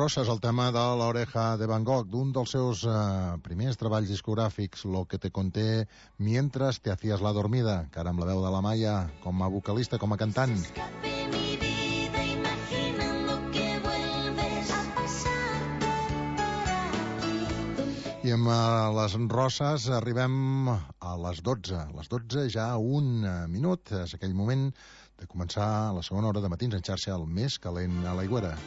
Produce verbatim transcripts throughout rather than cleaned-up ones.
Rosas, el tema de l'Oreja de Van Gogh, d'un dels seus eh, primers treballs discogràfics, Lo que te conté mientras te hacías la dormida, que ara amb la veu de la Maia, com a vocalista, com a cantant. I amb uh, les Roses arribem a les dotze. A les dotze ja un minut. És aquell moment de començar la segona hora de Matins en xarxa, el més calent a l'Aigüera.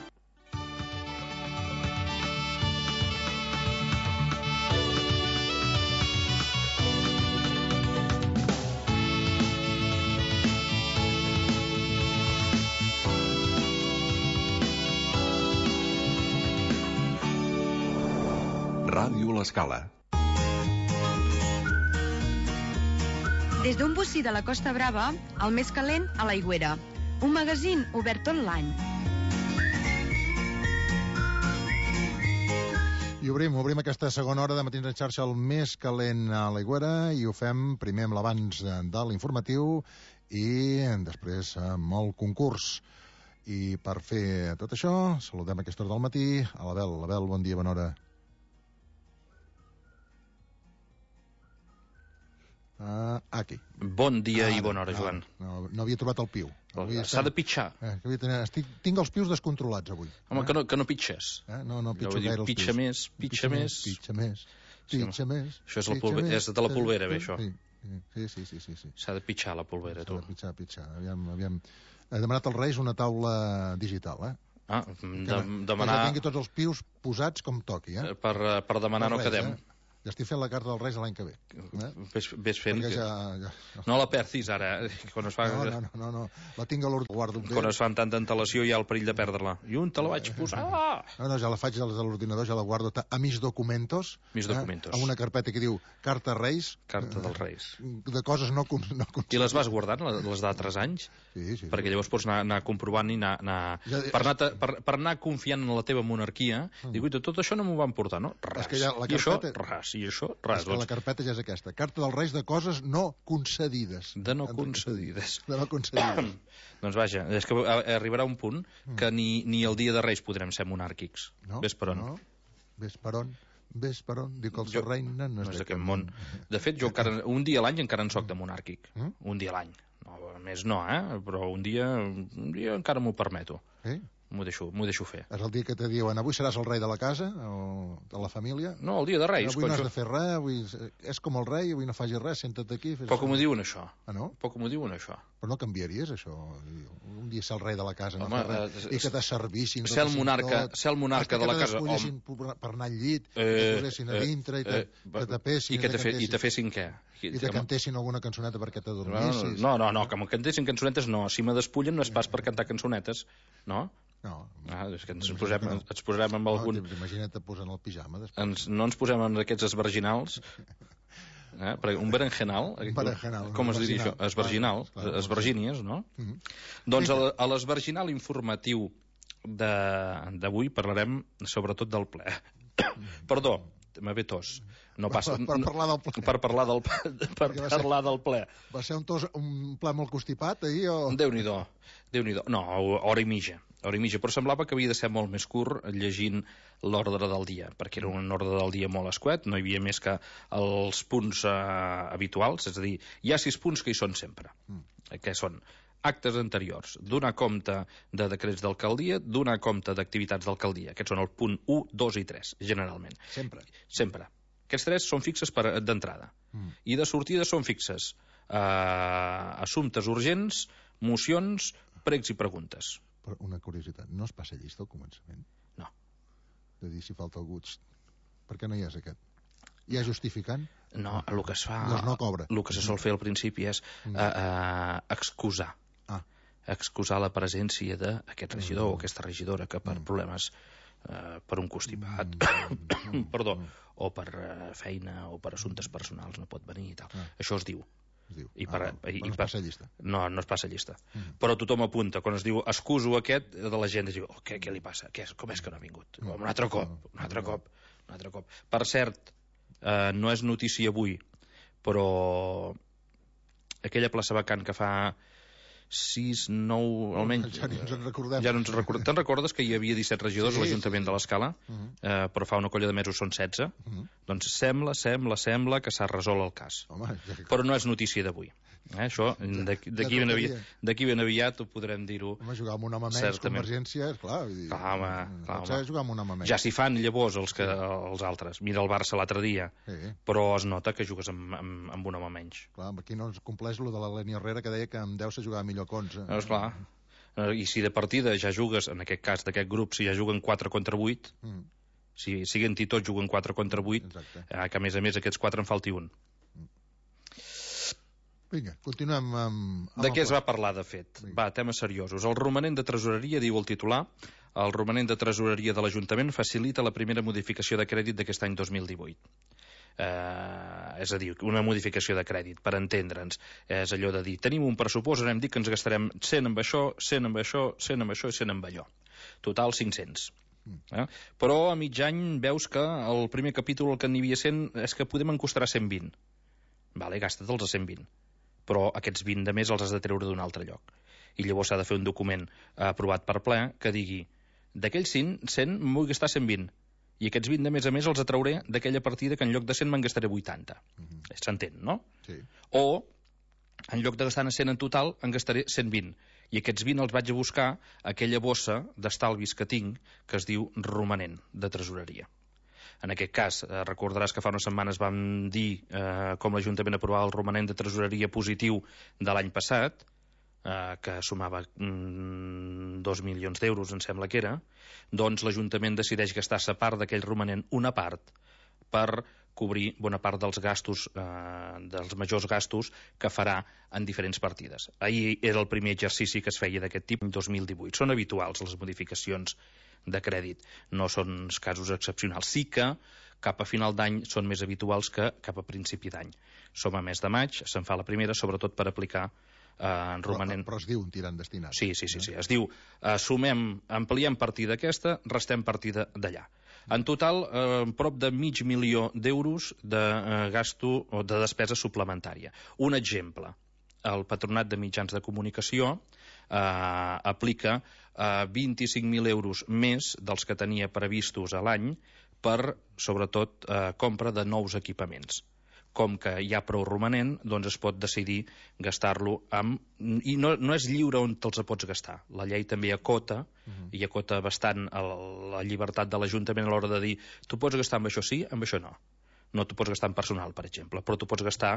Ràdio L'Escala. Des d'un bocí de la Costa Brava, el més calent a l'Aigüera. Un magazín obert tot l'any. I obrim, obrim aquesta segona hora de Matins en xarxa, el més calent a l'Aigüera, i ho fem primer amb l'abans de l'informatiu i després amb el concurs. I per fer tot això, saludem a aquesta hora del matí a l'Abel. Abel, bon dia, bona hora. Uh, aquí. Bon dia ah, i bona hora, no, Joan. No, no havia trobat el piu. S'ha de pitjar. Eh, estic, tinc els pius descontrolats avui. Home, eh? que, no, que no pitxes. Eh? No, no pitxo dir, gaire els pitxa pius. Més, pitxa, pitxa més, pitxa més. Pitxa sí, més. Això és, la pulve... és de la polvera, bé, això. Sí, sí, sí, sí, sí. S'ha de pitjar la polvera, tu. S'ha de pitjar, pitjar. Aviam, aviam. He demanat als Reis una taula digital, eh? Ah, de, demanar... Que ja tingui tots els pius posats com toqui, eh? Per, per demanar no quedem. Eh? Ja estic fent la carta dels Reis l'any que ve. Eh? Ves, ves fent que... Ja, ja... No la perdis ara. Quan es fa... no, no, no, no, la tinc a l'ordinador. Quan es fan tanta antelació hi ha el perill de perdre-la. I on te la vaig posar? No, no, ja la faig des de l'ordinador, ja la guardo a mis documentos. Mis documentos. Eh? A una carpeta que diu Carta Reis. Carta dels Reis. De coses no... no I les vas guardant, les d'altres anys? Sí, sí. Perquè llavors pots anar, anar comprovant i anar... anar... Ja, per, anar per, per anar confiant en la teva monarquia, mm. dic, tot això no m'ho van portar, no? Res. Ja la I carpeta... això, res. I això, res. La carpeta ja és aquesta. Carta dels Reis de coses no concedides. De no concedides. De no concedides. Doncs vaja, és que arribarà un punt que ni, ni el dia de Reis podrem ser monàrquics. No, ves per on. No, ves per on. Ves per on. Diu que el seu reina no és, no és d'aquest món. De fet, jo encara, un dia a l'any encara en soc de monàrquic. Mm? Un dia a l'any. No, més no, eh? Però un dia, un dia encara m'ho permeto. Sí? M'ho deixo, m'ho deixo fer. És el dia que te diuen, avui seràs el rei de la casa o de la família? No, el dia de Reis. Avui no has de fer res, avui és com el rei, avui no facis res, senta't aquí. Poc m'ho diuen, això. Ah, no? Poc m'ho diuen, això. Però no canviaries, això? Un dia ser el rei de la casa, no home, fer res, i que t'asservissin. Ser el monarca, ser el monarca de la casa. Que t'escollessin per anar al llit, eh, que posessin a dintre, i te, eh, que tapessin. I que te, fe, i te fessin què? I te cantessin alguna cançoneta perquè t'adormissis. No, no, no, que me cantessin cançonetes no. Si me despullen no és pas per cantar cançonetes, no? No. Ah, és que ens posem, no. ens posem amb algun... No, imagina't posant el pijama després. Ens, no ens posem amb aquests esverginals. Eh? Un berenjenal. Un berenjenal. Com es diria això? Esverginal. Esvergínies, no? Uh -huh. Doncs a, a l'esverginal informatiu d'avui parlarem sobretot del ple. Perdó, me ve tos. No passa, per, per parlar del ple. Per parlar del, per parlar del ple. Va ser un, tos, un ple molt constipat ahir o...? Déu-n'hi-do. Déu-n'hi-do. No, hora i mitja. Hora i mitja, però semblava que havia de ser molt més curt llegint l'ordre del dia, perquè era un ordre del dia molt escuet, no hi havia més que els punts eh, habituals, és a dir, hi ha sis punts que hi són sempre, mm. que són actes anteriors, donar compte de decrets d'alcaldia, donar compte d'activitats d'alcaldia. Aquests són el punt u, dos i tres, generalment. Sempre? Sempre. Aquests tres són fixes d'entrada. Mm. I de sortida són fixes eh, assumptes urgents, mocions, pregs i preguntes. Però una curiositat, no es passa llista al començament? No. De dir si falta algú... Per què no hi és aquest? Hi ha justificant? No, el que es fa... Doncs no cobra. El que se sol fer al principi és mm. eh, eh, excusar. Ah. Excusar la presència d'aquest regidor mm. o aquesta regidora que per mm. problemes eh, per un constipat mm. perdó, o per eh, feina o per assumptes personals no pot venir i tal. Ah. Això es diu. Es diu. I per, ah, no, i, no i es passa llista. No, no es passa llista. Mm. Però tothom apunta. Quan es diu excuso aquest, de la gent es diu, oh, què, què li passa? Què és? Com és que no ha vingut? Mm. Un altre cop, un altre mm. cop, un altre cop. Per cert, eh, no és notícia avui, però aquella plaça vacant que fa sis, nou, almenys... Ja ni ens en recordem. Ja no ens recordem. Te'n recordes que hi havia disset regidors Sí, a l'Ajuntament sí. de l'Escala? Uh -huh. eh, però fa una colla de mesos són setze. Uh -huh. Doncs sembla, sembla, sembla que s'ha resolt el cas. Home, ja que... Però no és notícia d'avui. Eh, això, d'aquí d'aquí ben, aviat, d'aquí ben aviat ho podrem dir-ho. Home, jugar amb un home menys, Certament. Convergència, és clar. Vull dir, Clar, home, clar, pot home. ser jugar amb un home menys. Ja s'hi fan llavors els, que, els altres. Mira el Barça l'altre dia. Sí, Però es nota que jugues amb, amb, amb un home menys. clar, aquí no es compleix lo de la Leni Herrera, que deia que amb deu se jugava millor que onze. No, esclar. I si de partida ja jugues, en aquest cas d'aquest grup, si ja juguen quatre contra vuit, Mm. si siguen-hi tots juguen quatre contra vuit, Exacte. eh, que a més a més aquests quatre en falti un. Vinga, continuem amb... amb De el què es pla. va parlar, de fet? Vinga. Va, temes seriosos. El romanent de tresoreria, diu el titular, el romanent de tresoreria de l'Ajuntament facilita la primera modificació de crèdit d'aquest any dos mil divuit. Eh, és a dir, una modificació de crèdit, per entendre'ns. És allò de dir, tenim un pressupost, anem dir que ens gastarem cent amb això, cent amb això, cent amb això i cent amb allò. Total, cinc-cents. Eh? Però a mig any veus que el primer capítol el que n'hi havia cent és que podem encostar a cent vint. Vale, gasta't-els a cent vint. Però aquests vint de més els has de treure d'un altre lloc. I llavors s'ha de fer un document aprovat per ple que digui, d'aquells cent, em vull gastar cent vint. I aquests vint de més a més els atrauré d'aquella partida que en lloc de cent me'n gastaré vuitanta. Mhm. S'entén, no? Sí. O, en lloc de gastar cent en total, en gastaré cent vint. I aquests vint els vaig a buscar a aquella bossa d'estalvis que tinc, que es diu romanent de tresoreria. En aquest cas, eh, recordaràs que fa unes setmanes vam dir eh, com l'Ajuntament aprovava el romanent de tresoreria positiu de l'any passat, eh, que sumava mm, dos milions d'euros, em sembla que era, doncs l'Ajuntament decideix gastar-se part d'aquell romanent, una part, per cobrir bona part dels gastos, eh, dels majors gastos que farà en diferents partides. Ahir era el primer exercici que es feia d'aquest tipus, dos mil divuit. Són habituals les modificacions de crèdit, no són casos excepcionals. Sí que cap a final d'any són més habituals que cap a principi d'any. Som a mes de maig, se'n fa la primera, sobretot per aplicar eh, en romanent... Però, però es diu un tirant destinat. Sí, sí, sí, sí. Es diu, eh, sumem, ampliem partida aquesta, restem partida d'allà. En total, eh, prop de mig milió d'euros de eh, gasto o de despesa suplementària. Un exemple, el Patronat de Mitjans de Comunicació eh, aplica eh, vint-i-cinc mil euros més dels que tenia previstos a l'any per, sobretot, eh, compra de nous equipaments. Com que hi ha prou romanent, doncs es pot decidir gastar-lo amb... I no, no és lliure on te'ls pots gastar. La llei també acota, uh-huh. i acota bastant el, la llibertat de l'Ajuntament a l'hora de dir tu pots gastar amb això sí, amb això no. No t'ho pots gastar en personal, per exemple, però t'ho pots gastar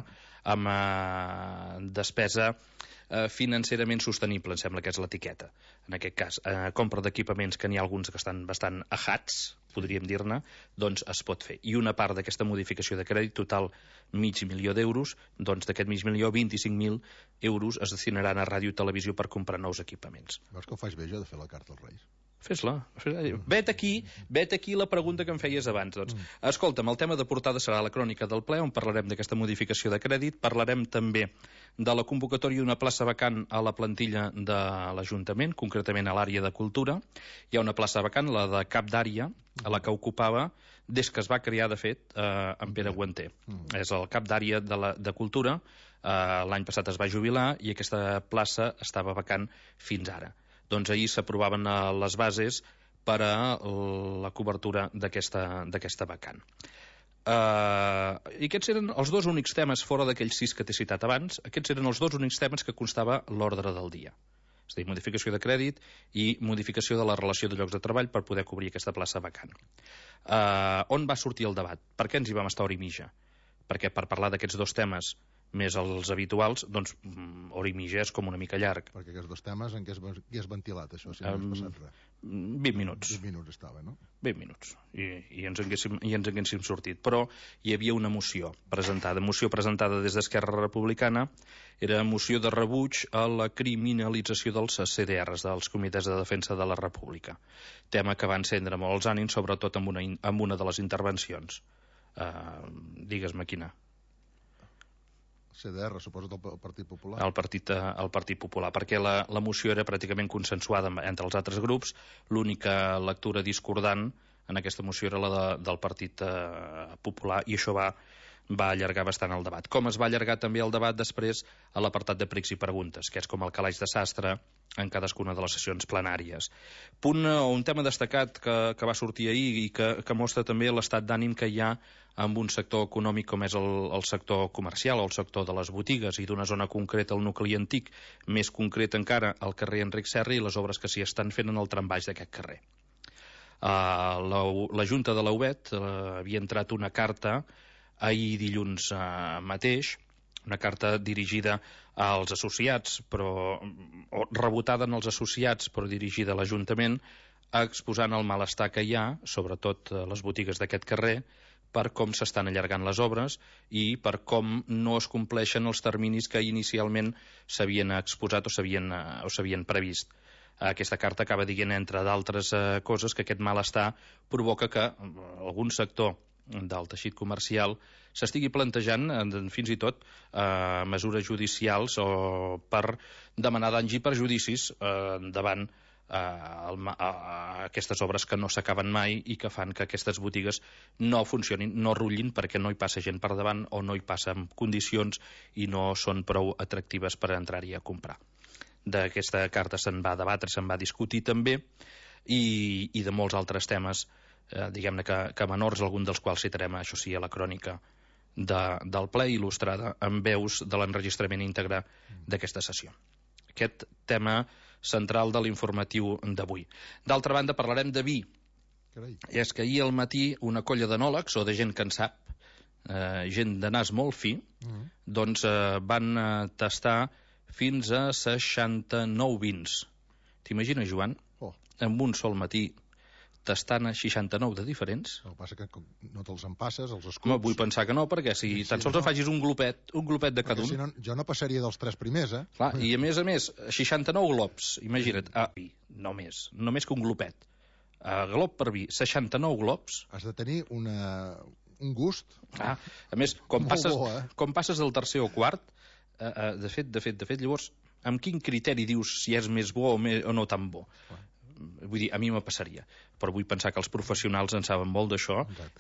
amb eh, despesa eh, financerament sostenible, em sembla que és l'etiqueta. En aquest cas, eh, compra d'equipaments que n'hi ha alguns que estan bastant ajats, podríem dir-ne, doncs es pot fer. I una part d'aquesta modificació de crèdit, total mig milió d'euros, doncs d'aquest mig milió, vint-i-cinc mil euros es destinaran a ràdio i televisió per comprar nous equipaments. Veus que ho faig bé jo de fer la carta als Reis? Fes-la. Fes-la. Vet aquí, vet aquí la pregunta que em feies abans. Doncs, escolta'm, el tema de portada serà la crònica del ple, on parlarem d'aquesta modificació de crèdit. Parlarem també de la convocatòria d'una plaça vacant a la plantilla de l'Ajuntament, concretament a l'àrea de cultura. Hi ha una plaça vacant, la de cap d'àrea, a la que ocupava, des que es va crear, de fet, eh, en Pere Guanter. Mm. És el cap d'àrea de, la, de cultura. Eh, l'any passat es va jubilar i aquesta plaça estava vacant fins ara. Doncs ahir s'aprovaven les bases per a la cobertura d'aquesta vacant. Uh, I aquests eren els dos únics temes, fora d'aquells sis que t'he citat abans, aquests eren els dos únics temes que constava l'ordre del dia. És a dir, modificació de crèdit i modificació de la relació de llocs de treball per poder cobrir aquesta plaça vacant. Uh, on va sortir el debat? Per què ens hi vam estar hora i mitja? Perquè per parlar d'aquests dos temes més els habituals, doncs hora i mitja és com una mica llarg. Perquè aquests dos temes en què es, què es ventilat, això, si no um, has passat res? vint minuts. vint minuts estava, no? vint minuts. I, i, ens haguéssim, i ens haguéssim sortit. Però hi havia una moció presentada. Moció presentada des d'Esquerra Republicana. Era moció de rebuig a la criminalització dels C D Rs, dels Comitès de Defensa de la República. Tema que va encendre molt els ànims, sobretot amb una, amb una de les intervencions. Uh, Digues-me quina. C D R, suposo, del Partit Popular. El Partit, el Partit Popular, perquè la, la moció era pràcticament consensuada entre els altres grups. L'única lectura discordant en aquesta moció era la de, del Partit eh, Popular, i això va va allargar bastant el debat. Com es va allargar també el debat després a l'apartat de pregs i preguntes, que és com el calaix de sastre en cadascuna de les sessions plenàries. Punt o un tema destacat que, que va sortir ahir i que, que mostra també l'estat d'ànim que hi ha amb un sector econòmic com és el, el sector comercial o el sector de les botigues i d'una zona concreta, el nucli antic, més concret encara el carrer Enric Serra i les obres que s'hi estan fent en el trambaix d'aquest carrer. Uh, la, la Junta de la U B E T uh, havia entrat una carta ahir dilluns uh, mateix, una carta dirigida als associats, però o rebotada en els associats, però dirigida a l'Ajuntament, exposant el malestar que hi ha, sobretot a les botigues d'aquest carrer, per com s'estan allargant les obres i per com no es compleixen els terminis que inicialment s'havien exposat o s'havien o s'havien previst. Aquesta carta acaba dient, entre d'altres eh, coses, que aquest malestar provoca que algun sector del teixit comercial s'estigui plantejant eh, fins i tot eh, mesures judicials o per demanar danys i perjudicis eh, davant eh, el, a, a aquestes obres que no s'acaben mai i que fan que aquestes botigues no funcionin, no rutllin perquè no hi passa gent per davant o no hi passa en condicions i no són prou atractives per entrar-hi a comprar. D'aquesta carta se'n va debatre, se'n va discutir també i, i de molts altres temes eh, diguem-ne que, que menors, algun dels quals citarem, això sí, a la crònica de, del ple il·lustrada amb veus de l'enregistrament íntegre d'aquesta sessió. Aquest tema central de l'informatiu d'avui. D'altra banda, parlarem de vi. Carai. I és que ahir al matí una colla d'enòlegs, o de gent que en sap, eh, gent de nas molt fi, mm. doncs eh, van eh, tastar fins a seixanta-nou vins. T'imagines, Joan? Oh. En un sol matí tastant a seixanta-nou de diferents? El que passa que no te'ls empasses, els escups... Home, vull pensar que no, perquè si sí, tan sols no. en facis un glopet, un glopet de cada un... Si no, jo no passaria dels tres primers, eh? Clar, i a més a més, seixanta-nou glops, imagina't, ah, vi, només, només que un glopet. Uh, glop per vi, seixanta-nou glops... Has de tenir una, un gust... Ah, a més, com passes, bo, eh? com passes del tercer o quart, uh, uh, de fet, de fet, de fet, llavors, amb quin criteri dius si és més bo o, més, o no tan bo? Ah. Vull dir, a mi me passaria, però vull pensar que els professionals en saben molt d'això.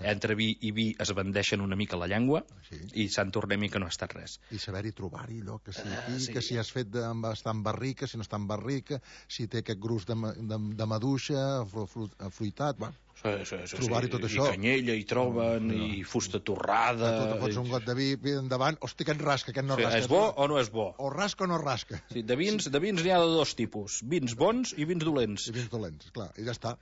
Entre vi i vi es bandeixen una mica la llengua sí. i se'n tornem i que no ha estat res. I saber-hi trobar-hi allò, que si, aquí, uh, sí. que si has fet de, està en barrica, si no està en barrica, si té aquest gruix de, de, de maduixa, afruitat, bueno, sí, sí, sí, trobar-hi tot i això. I canyella, i troben, no, no. i fusta torrada... Tu te fots un got de vi endavant, hosti, aquest rasca, aquest no sí, rasca. És bo o no és bo? O rasca o no rasca. Sí, de vins sí. de vins n'hi ha de dos tipus, vins bons i vins dolents. I vins dolents, clar, i ja està.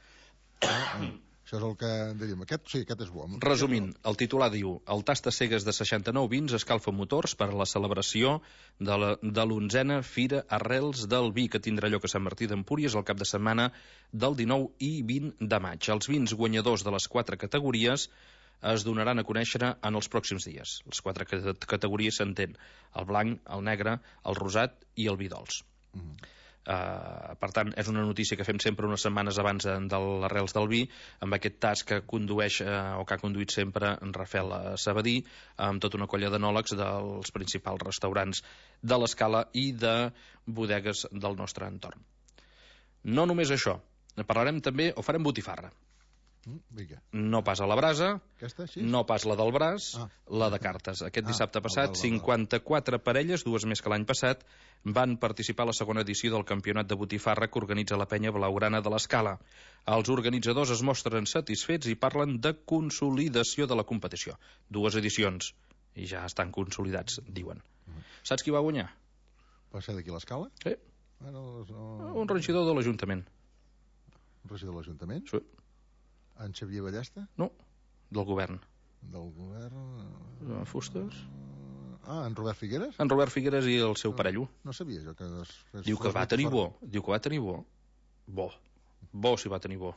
Això és el que diríem. Aquest, sí, aquest és bo. Resumint, el titular diu: el tast a cegues de seixanta-nou vins escalfa motors per a la celebració de la, de l'onzena Fira Arrels del Vi, que tindrà lloc a Sant Martí d'Empúries el cap de setmana del dinou i vint de maig. Els vins guanyadors de les quatre categories es donaran a conèixer en els pròxims dies. Les quatre categories s'entén: el blanc, el negre, el rosat i el vi dolç. Mm. Uh, per tant, és una notícia que fem sempre unes setmanes abans de, de l'Arrels del Vi, amb aquest tas que condueix uh, o que ha conduït sempre en Rafael Sabadí, amb tota una colla d'enòlegs dels principals restaurants de l'Escala i de bodegues del nostre entorn. No només això, parlarem també, o farem botifarra. Vinga. No pas a la brasa, aquesta, sí? no pas la del braç, ah. la de cartes. Aquest dissabte ah, passat, cinquanta-quatre parelles, dues més que l'any passat, van participar a la segona edició del campionat de botifarra que organitza la penya blaugrana de l'Escala. Els organitzadors es mostren satisfets i parlen de consolidació de la competició. Dues edicions, i ja estan consolidats, diuen. Mm. Saps qui va guanyar? Va ser d'aquí a l'Escala? Sí. Bueno, no... Un regidor de l'Ajuntament. Un regidor de l'Ajuntament? Sí. En Xavier Ballesta? No, del govern. Del govern... Uh, Fustes? Ah, en Robert Figueres? En Robert Figueres i el seu no, parello. No sabia jo que... Es, que Diu que va tenir bo. Diu que va tenir bo. Bo. Bo si va tenir bo.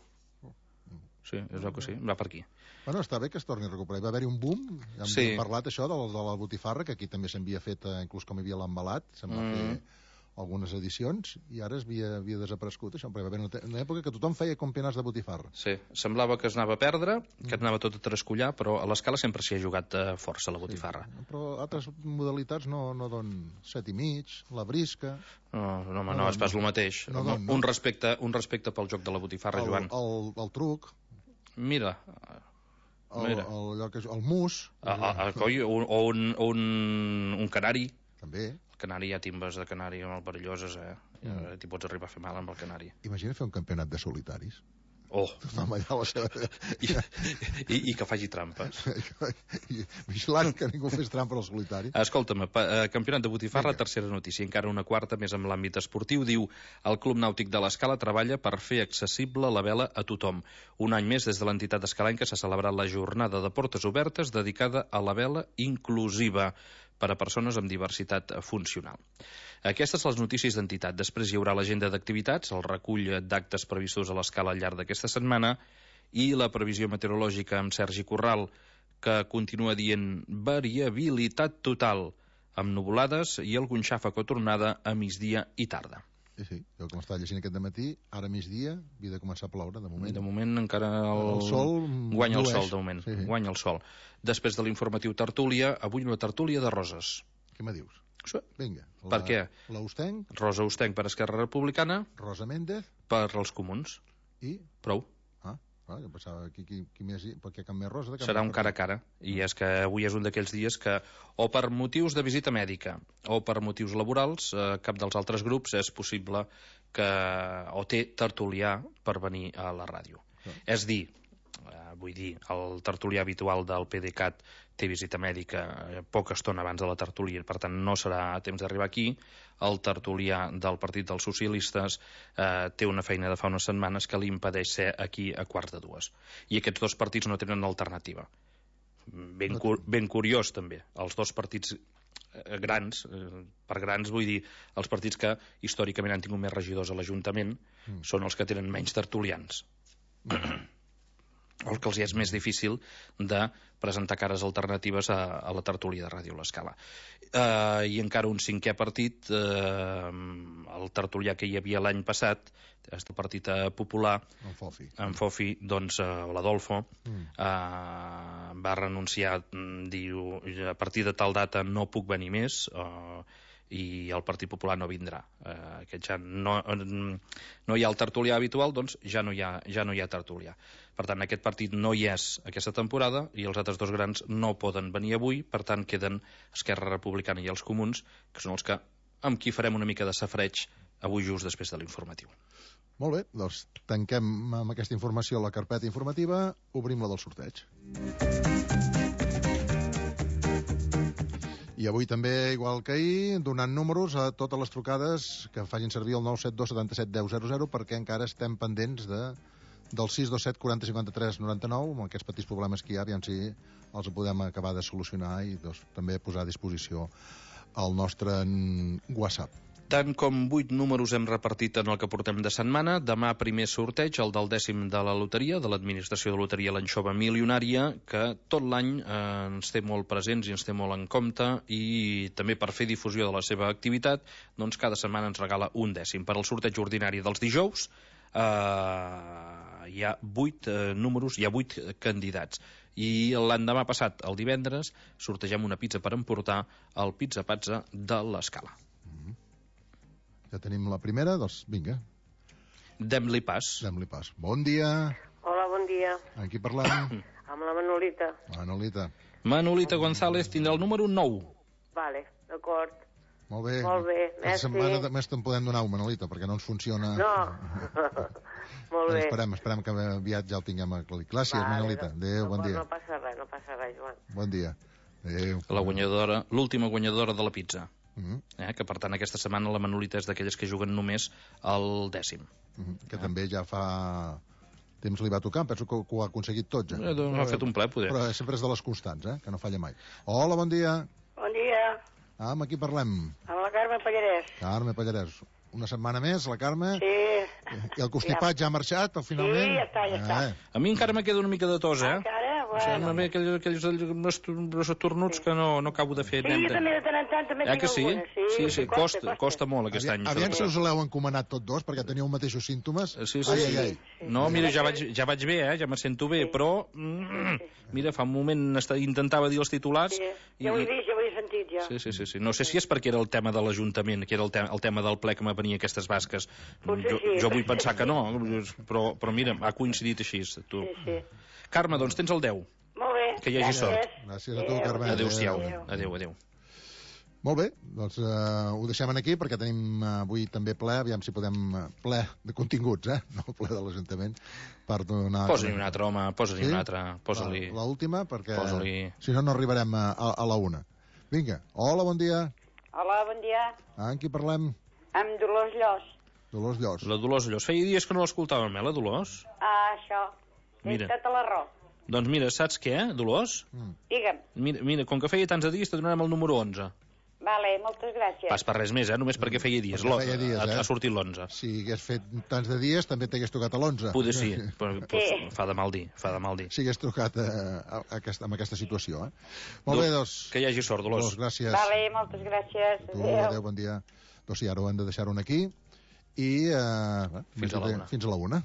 Sí, és el que sí, va per aquí. Bueno, està bé que es torni a recuperar. Va haver-hi un boom, hem sí. parlat això de la, de la botifarra, que aquí també s'havia fet, eh, inclús com hi havia l'embalat, se'n va mm. fer algunes edicions, i ara es havia, havia desaparegut això, perquè va haver una, una època que tothom feia campionats de botifarra. Sí, semblava que es anava a perdre, que es anava tot a trascollar, però a l'Escala sempre s'hi ha jugat eh, força la botifarra. Sí, però altres modalitats no, no don set i mig, la brisca... No, no, home, no, no és pas el mateix. No, no, no. Un, respecte, un respecte pel joc de la botifarra, el, Joan. El, el truc... Mira, el, el, allò que és, el mus... A, a, a, coi, un, o un, un, un canari. També. El canari, hi ha timbes de canari molt perilloses, eh? Mm. T'hi pots arribar a fer mal amb el canari. Imagina fer un campionat de solitaris. Oh! Tothom allà a la seva... I, i, i que faci trampes. Vigilant que ningú fes trampa al solitari. Escolta'm, pa, eh, campionat de botifarra, Vinga. Tercera notícia, encara una quarta, més amb l'àmbit esportiu, diu el Club Nàutic de l'Escala treballa per fer accessible la vela a tothom. Un any més, des de l'entitat escalenca, s'ha celebrat la jornada de portes obertes dedicada a la vela inclusiva per a persones amb diversitat funcional. Aquestes són les notícies d'entitat. Després hi haurà l'agenda d'activitats, el recull d'actes previstos a l'Escala al llarg d'aquesta setmana i la previsió meteorològica amb Sergi Corral, que continua dient variabilitat total, amb nuvolades i algun xàfec o tornada a migdia i tarda. Sí, sí, jo com estava llegint aquest dematí, ara migdia havia de començar a ploure, de moment. De moment encara el, el sol guanya el llueix. sol, de moment, sí, sí. guanya el sol. Després de l'informatiu tertúlia, avui una tertúlia de roses. Què me dius? Sí. Vinga. La, per què? La Ustenc. Rosa Ustenc per Esquerra Republicana. Rosa Méndez. Per els comuns. I? Prou. Ah, clar, jo pensava qui, qui, qui més... Perquè cap més rosa... Serà un cara a cara. I és que avui és un d'aquells dies que, o per motius de visita mèdica o per motius laborals, eh, cap dels altres grups és possible que o té tertulià per venir a la ràdio. Sí. És dir, eh, vull dir, el tertulià habitual del PDeCAT té visita mèdica poca estona abans de la tertúlia, per tant no serà a temps d'arribar aquí. El tertulià del Partit dels Socialistes eh, té una feina de fa unes setmanes que li impedeix ser aquí a quarts de dues. I aquests dos partits no tenen alternativa. Ben, cu ben curiós, també. Els dos partits eh, grans, eh, per grans vull dir, els partits que històricament han tingut més regidors a l'Ajuntament mm. són els que tenen menys tertulians. Mm. El que els és més difícil de presentar cares alternatives a, a la tertúlia de Ràdio L'Escala. Uh, I encara un cinquè partit, uh, el tertulià que hi havia l'any passat, el Partit Popular, en Fofi, en Fofi doncs, uh, l'Adolfo, mm. uh, va renunciar, diu, a partir de tal data no puc venir més, uh, i el Partit Popular no vindrà. Eh, aquest ja no, no hi ha el tertulià habitual, doncs ja no hi ha, ja no hi ha tertulià. Per tant, aquest partit no hi és aquesta temporada i els altres dos grans no poden venir avui, per tant queden Esquerra Republicana i els Comuns, que són els que amb qui farem una mica de safreig avui just després de l'informatiu. Molt bé, doncs tanquem amb aquesta informació la carpeta informativa, obrim la del sorteig. I avui també, igual que ahir, donant números a totes les trucades que facin servir el nou set dos setanta set deu zero zero, perquè encara estem pendents de, del sis dos set quaranta cinquanta tres noranta nou, amb aquests petits problemes que hi ha, aviam si els podem acabar de solucionar i doncs, també posar a disposició el nostre WhatsApp. Tant com vuit números hem repartit en el que portem de setmana. Demà primer sorteig, el del dècim de la loteria, de l'Administració de Loteria l'Anxova Milionària, que tot l'any eh, ens té molt presents i ens té molt en compte, i també per fer difusió de la seva activitat, doncs cada setmana ens regala un dècim. Per al sorteig ordinari dels dijous eh, hi ha vuit eh, números, hi ha vuit candidats. I l'endemà passat, el divendres, sortegem una pizza per emportar al Pizza Pazza de l'Escala. Ja tenim la primera, doncs vinga. Dem-li pas. Dem-li pas. Bon dia. Hola, bon dia. Amb qui parlem? Amb la Manolita. Manolita. Manolita González tindrà el número nou. Vale, d'acord. Molt bé. Molt bé, merci. Aquesta setmana més te'n podem donar un, Manolita, perquè no ens funciona... No. Molt bé. Esperem, esperem que aviat ja el tinguem aclarit. Gràcies, vale, Manolita. Adéu, no, bon dia. No passa res, no passa res, Joan. Bon dia. Adéu. La guanyadora, l'última guanyadora de la pizza. Mm-hmm. eh, que per tant aquesta setmana la Manolita és d'aquelles que juguen només al dècim. Mm-hmm. Que eh? també ja fa temps li va tocar, penso que ho ha aconseguit tot ja. Eh, doncs ha fet un ple, poder. Però sempre és de les constants, eh? Que no falla mai. Hola, bon dia. Bon dia. Ah, amb qui parlem? Amb la Carme Pallarès. Carme Pallarès. Una setmana més, la Carme? Sí. I el constipat ja, ja ha marxat, finalment? Sí, ja està, ja està. Eh. A mi encara me queda una mica de tos, eh? Encara? Bueno. O sigui, aquells, aquells, aquells tornuts sí. que no, no acabo de fer. Sí, jo també de tant en tant també eh, tinc que sí? alguna. Sí, sí, sí, costa, costa, costa molt aquest aviam, any. Aviam si us l'heu encomanat tots dos, perquè teníeu mateixos símptomes. Sí, sí, ai, sí. ai, ai. sí. No, mira, ja vaig, ja vaig bé, eh? Ja me sento bé, sí. però... Mm, mira, fa un moment intentava dir els titulars... Sí. I... Ja ho he vist, ja ho he sentit, ja. Sí, sí, sí, sí. No sé si és perquè era el tema de l'Ajuntament, que era el, te el tema del ple que me venia aquestes basques. Potser jo, sí. jo vull pensar que no, però, però mira, ha coincidit així. Tu. Sí, sí. Carme, doncs tens el deu. Molt Que hi hagi sort. Gràcies a tu, Carme. Adéu-siau. Adéu, adéu. Molt bé, doncs uh, ho deixem aquí perquè tenim uh, avui també ple, aviam si podem uh, ple de continguts, eh? No ple de l'Ajuntament, per donar... Posa-li un altre, home, posa-li sí? un altre. Posa-li... L'última, perquè posa-li... si no, no arribarem a, a, a la una. Vinga, hola, bon dia. Hola, bon dia. Ah, amb qui parlem? Amb Dolors Llos. Dolors Llos. La Dolors Llos. Feia dies que no l'escoltàvem, eh, la Dolors? Ah, això. Mira. Tens tota la raó. Doncs mira, saps què, Dolors? Mm. Digue'm. Mira, mira, com que feia tants de dies, te donarem el número onze. Vale, moltes gràcies. Pas per res més, eh? Només perquè feia dies. Perquè feia dies, ha, eh? ha sortit l'onze. Si hagués fet tants de dies, també t'hagués tocat a l'onze. Poder sí, però pues, Sí. fa de mal dir, fa de mal dir. Si hagués trucat a, a, a aquesta, amb aquesta situació, eh? Molt bé, doncs... Que hi hagi sort, Dolors. Dolors, gràcies. Vale, moltes gràcies. Tu, adéu, bon dia. Doncs sí, ara ho hem de deixar un aquí i... Eh, Fins a la una. Fins a la una.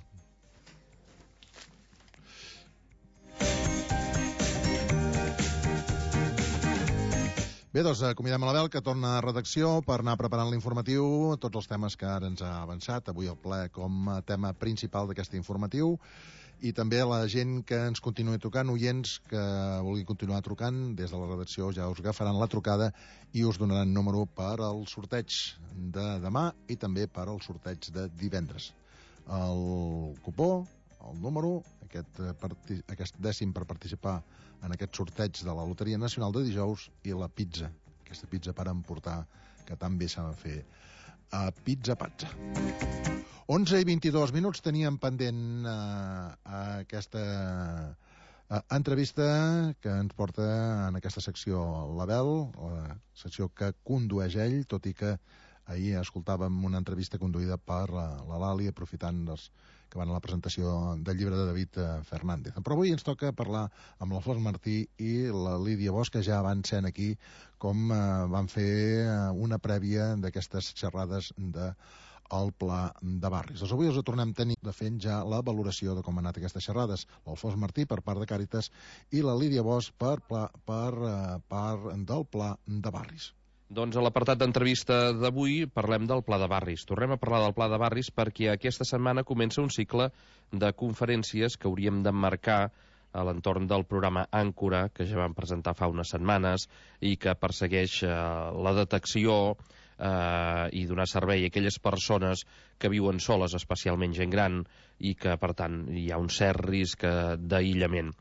Bé, doncs acomiadem a la Bel, que torna a redacció per anar preparant l'informatiu, tots els temes que ara ens ha avançat, avui el ple com a tema principal d'aquest informatiu, i també a la gent que ens continuï trucant, oients que vulgui continuar trucant, des de la redacció ja us agafaran la trucada i us donaran número per al sorteig de demà i també per al sorteig de divendres. El cupó, el número, aquest, aquest dècim per participar en aquest sorteig de la Loteria Nacional de dijous i la pizza, aquesta pizza per emportar que tan bé s'ha de fer a Pizza Pazza. onze i vint-i-dos minuts teníem pendent uh, aquesta uh, entrevista que ens porta en aquesta secció l'Abel, la secció que condueix ell, tot i que ahir escoltàvem una entrevista conduïda per la, la Lali, aprofitant dels que van a la presentació del llibre de David Fernández. Però avui ens toca parlar amb l'Alfons Martí i la Lídia Bosch, que ja van sent aquí com eh, van fer eh, una prèvia d'aquestes xerrades de el Pla de Barris. Doncs avui us ho tornem a tenir de fent ja la valoració de com han anat aquestes xerrades. L'Alfons Martí per part de Càritas i la Lídia Bosch per, pla, per uh, part del Pla de Barris. Doncs a l'apartat d'entrevista d'avui parlem del Pla de Barris. Tornem a parlar del Pla de Barris perquè aquesta setmana comença un cicle de conferències que hauríem d'emmarcar a l'entorn del programa Àncora, que ja vam presentar fa unes setmanes i que persegueix eh, la detecció eh, i donar servei a aquelles persones que viuen soles, especialment gent gran, i que, per tant, hi ha un cert risc d'aïllament.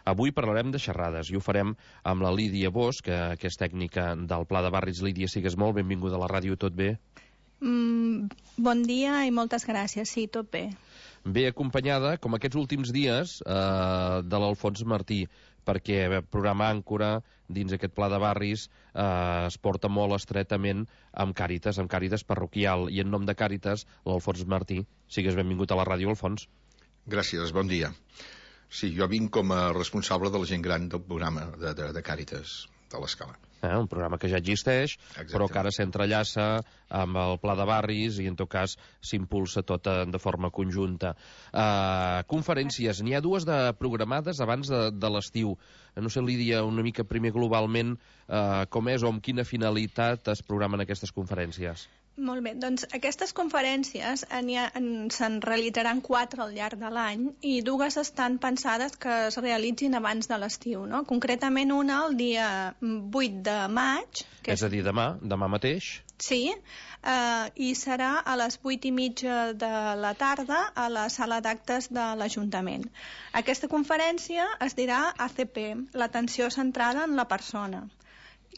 Avui parlarem de xerrades i ho farem amb la Lídia Bosch, que, que és tècnica del Pla de Barris. Lídia, sigues molt benvinguda a la ràdio, tot bé? Mm, bon dia i moltes gràcies, sí, tot bé. Bé acompanyada, com aquests últims dies, eh, de l'Alfons Martí, perquè el programa Àncora, dins aquest Pla de Barris, eh, es porta molt estretament amb Càritas, amb Càritas parroquial, i en nom de Càritas, l'Alfons Martí. Sigues benvingut a la ràdio, Alfons. Gràcies, bon dia. Sí, jo vinc com a responsable de la gent gran del programa de, de, de Càritas de l'Escala. Eh, un programa que ja existeix, exacte, però que ara s'entrellaça amb el Pla de Barris i en tot cas s'impulsa tot de forma conjunta. Uh, conferències, n'hi ha dues de programades abans de, de l'estiu. No sé, Lídia, una mica primer globalment uh, com és o amb quina finalitat es programen aquestes conferències? Molt bé, doncs aquestes conferències se'n realitzaran quatre al llarg de l'any i dues estan pensades que es realitzin abans de l'estiu, no? Concretament una el dia vuit de maig. Que és a dir, demà, demà mateix? Sí, eh, i serà a les vuit i mitja de la tarda a la sala d'actes de l'Ajuntament. Aquesta conferència es dirà A C P, l'atenció centrada en la persona,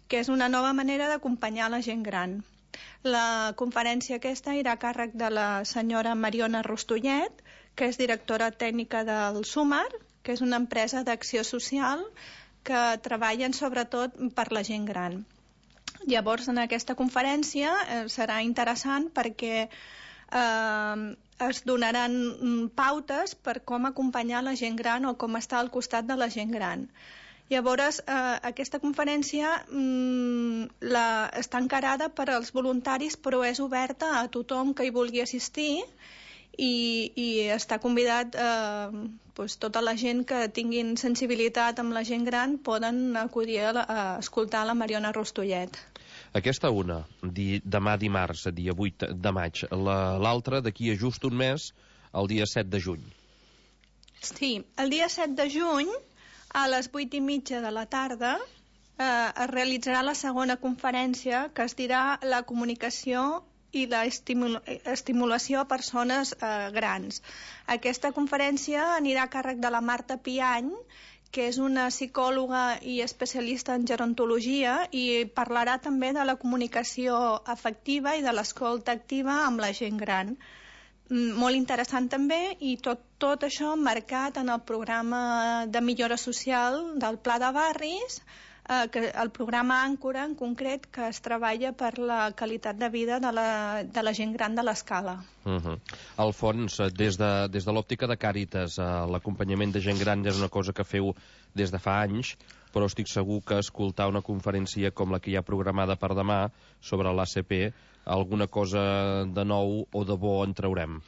que és una nova manera d'acompanyar la gent gran. La conferència aquesta irà a càrrec de la senyora Mariona Rostollet, que és directora tècnica del Sumar, que és una empresa d'acció social que treballen sobretot per la gent gran. Llavors, en aquesta conferència eh, serà interessant perquè eh, es donaran pautes per com acompanyar la gent gran o com estar al costat de la gent gran. Llavors, eh, aquesta conferència mm, la, està encarada per als voluntaris, però és oberta a tothom que hi vulgui assistir i, i està convidat, eh, doncs, tota la gent que tinguin sensibilitat amb la gent gran poden acudir a, la, a escoltar la Mariona Rostollet. Aquesta una, di, demà dimarts, dia vuit de maig. L'altra, d'aquí a just un mes, el dia set de juny. Sí, el dia set de juny a les vuit i mitja de la tarda eh, es realitzarà la segona conferència, que es dirà la comunicació i la estimula estimulació a persones eh, grans. Aquesta conferència anirà a càrrec de la Marta Piany, que és una psicòloga i especialista en gerontologia, i parlarà també de la comunicació afectiva i de l'escolta activa amb la gent gran. Molt interessant també, i tot, tot això marcat en el programa de millora social del Pla de Barris, eh, que el programa Àncora en concret, que es treballa per la qualitat de vida de la, de la gent gran de l'Escala. Uh -huh. Alfons, des de, des de l'òptica de Càritas, eh, l'acompanyament de gent gran és una cosa que feu des de fa anys, però estic segur que escoltar una conferència com la que hi ha programada per demà sobre l'A C P, alguna cosa de nou o de bo en traurem.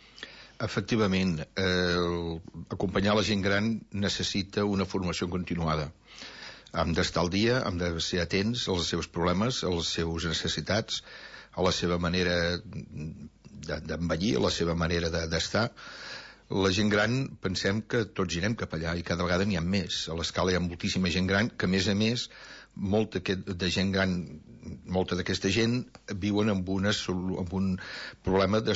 Efectivament, eh, acompanyar la gent gran necessita una formació continuada. Hem d'estar al dia, hem de ser atents als seus problemes, a les seves necessitats, a la seva manera d'envellir, a la seva manera d'estar. La gent gran, pensem que tots irem cap allà i cada vegada n'hi ha més. A l'Escala hi ha moltíssima gent gran que, a més a més, molta de gent gran, molta d'aquesta gent viuen amb, una, amb un problema de,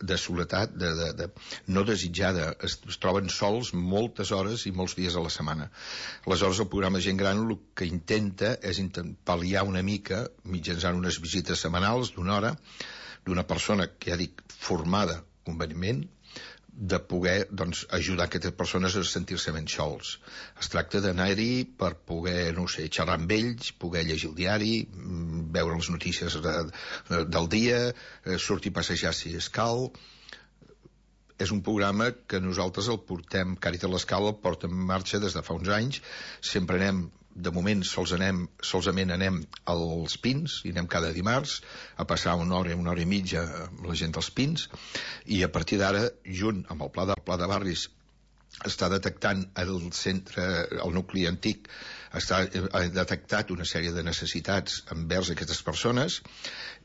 de soledat de, de, de, no desitjada. Es, es troben sols moltes hores i molts dies a la setmana. Aleshores, el programa de gent gran el que intenta és pal·liar una mica mitjançant unes visites setmanals d'una hora d'una persona que ja dic formada convenientment, de poder doncs, ajudar aquestes persones a sentir-se menys sols. Es tracta d'anar-hi per poder, no sé, xerrar amb ells, poder llegir el diari, veure les notícies de, de, del dia, sortir a passejar si escau. És un programa que nosaltres el portem, Càritas l'Escala el porta en marxa des de fa uns anys. Sempre anem, de moment sols anem, solsament anem als Pins, i anem cada dimarts a passar una hora, una hora i mitja amb la gent dels Pins, i a partir d'ara, junt amb el Pla de, Pla de Barris, està detectant el centre, el nucli antic, està ha detectat una sèrie de necessitats envers aquestes persones,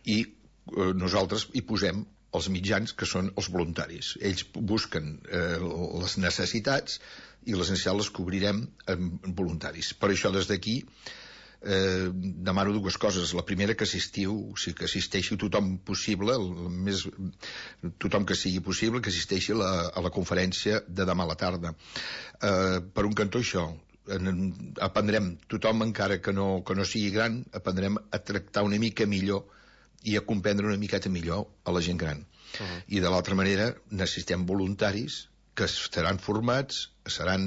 i eh, nosaltres hi posem els mitjans, que són els voluntaris. Ells busquen eh, les necessitats i les necessitats les cobrirem amb voluntaris. Per això, des d'aquí, eh, demano dues coses. La primera, que assistiu, o sigui, que assisteixi tothom possible, el més, tothom que sigui possible, que assisteixi a la, a la conferència de demà a la tarda. Eh, per un cantó, això, en, aprendrem, tothom encara que no, que no sigui gran, aprendrem a tractar una mica millor i a comprendre una miqueta millor a la gent gran. Uh-huh. I de l'altra manera necessitem voluntaris que estaran formats, seran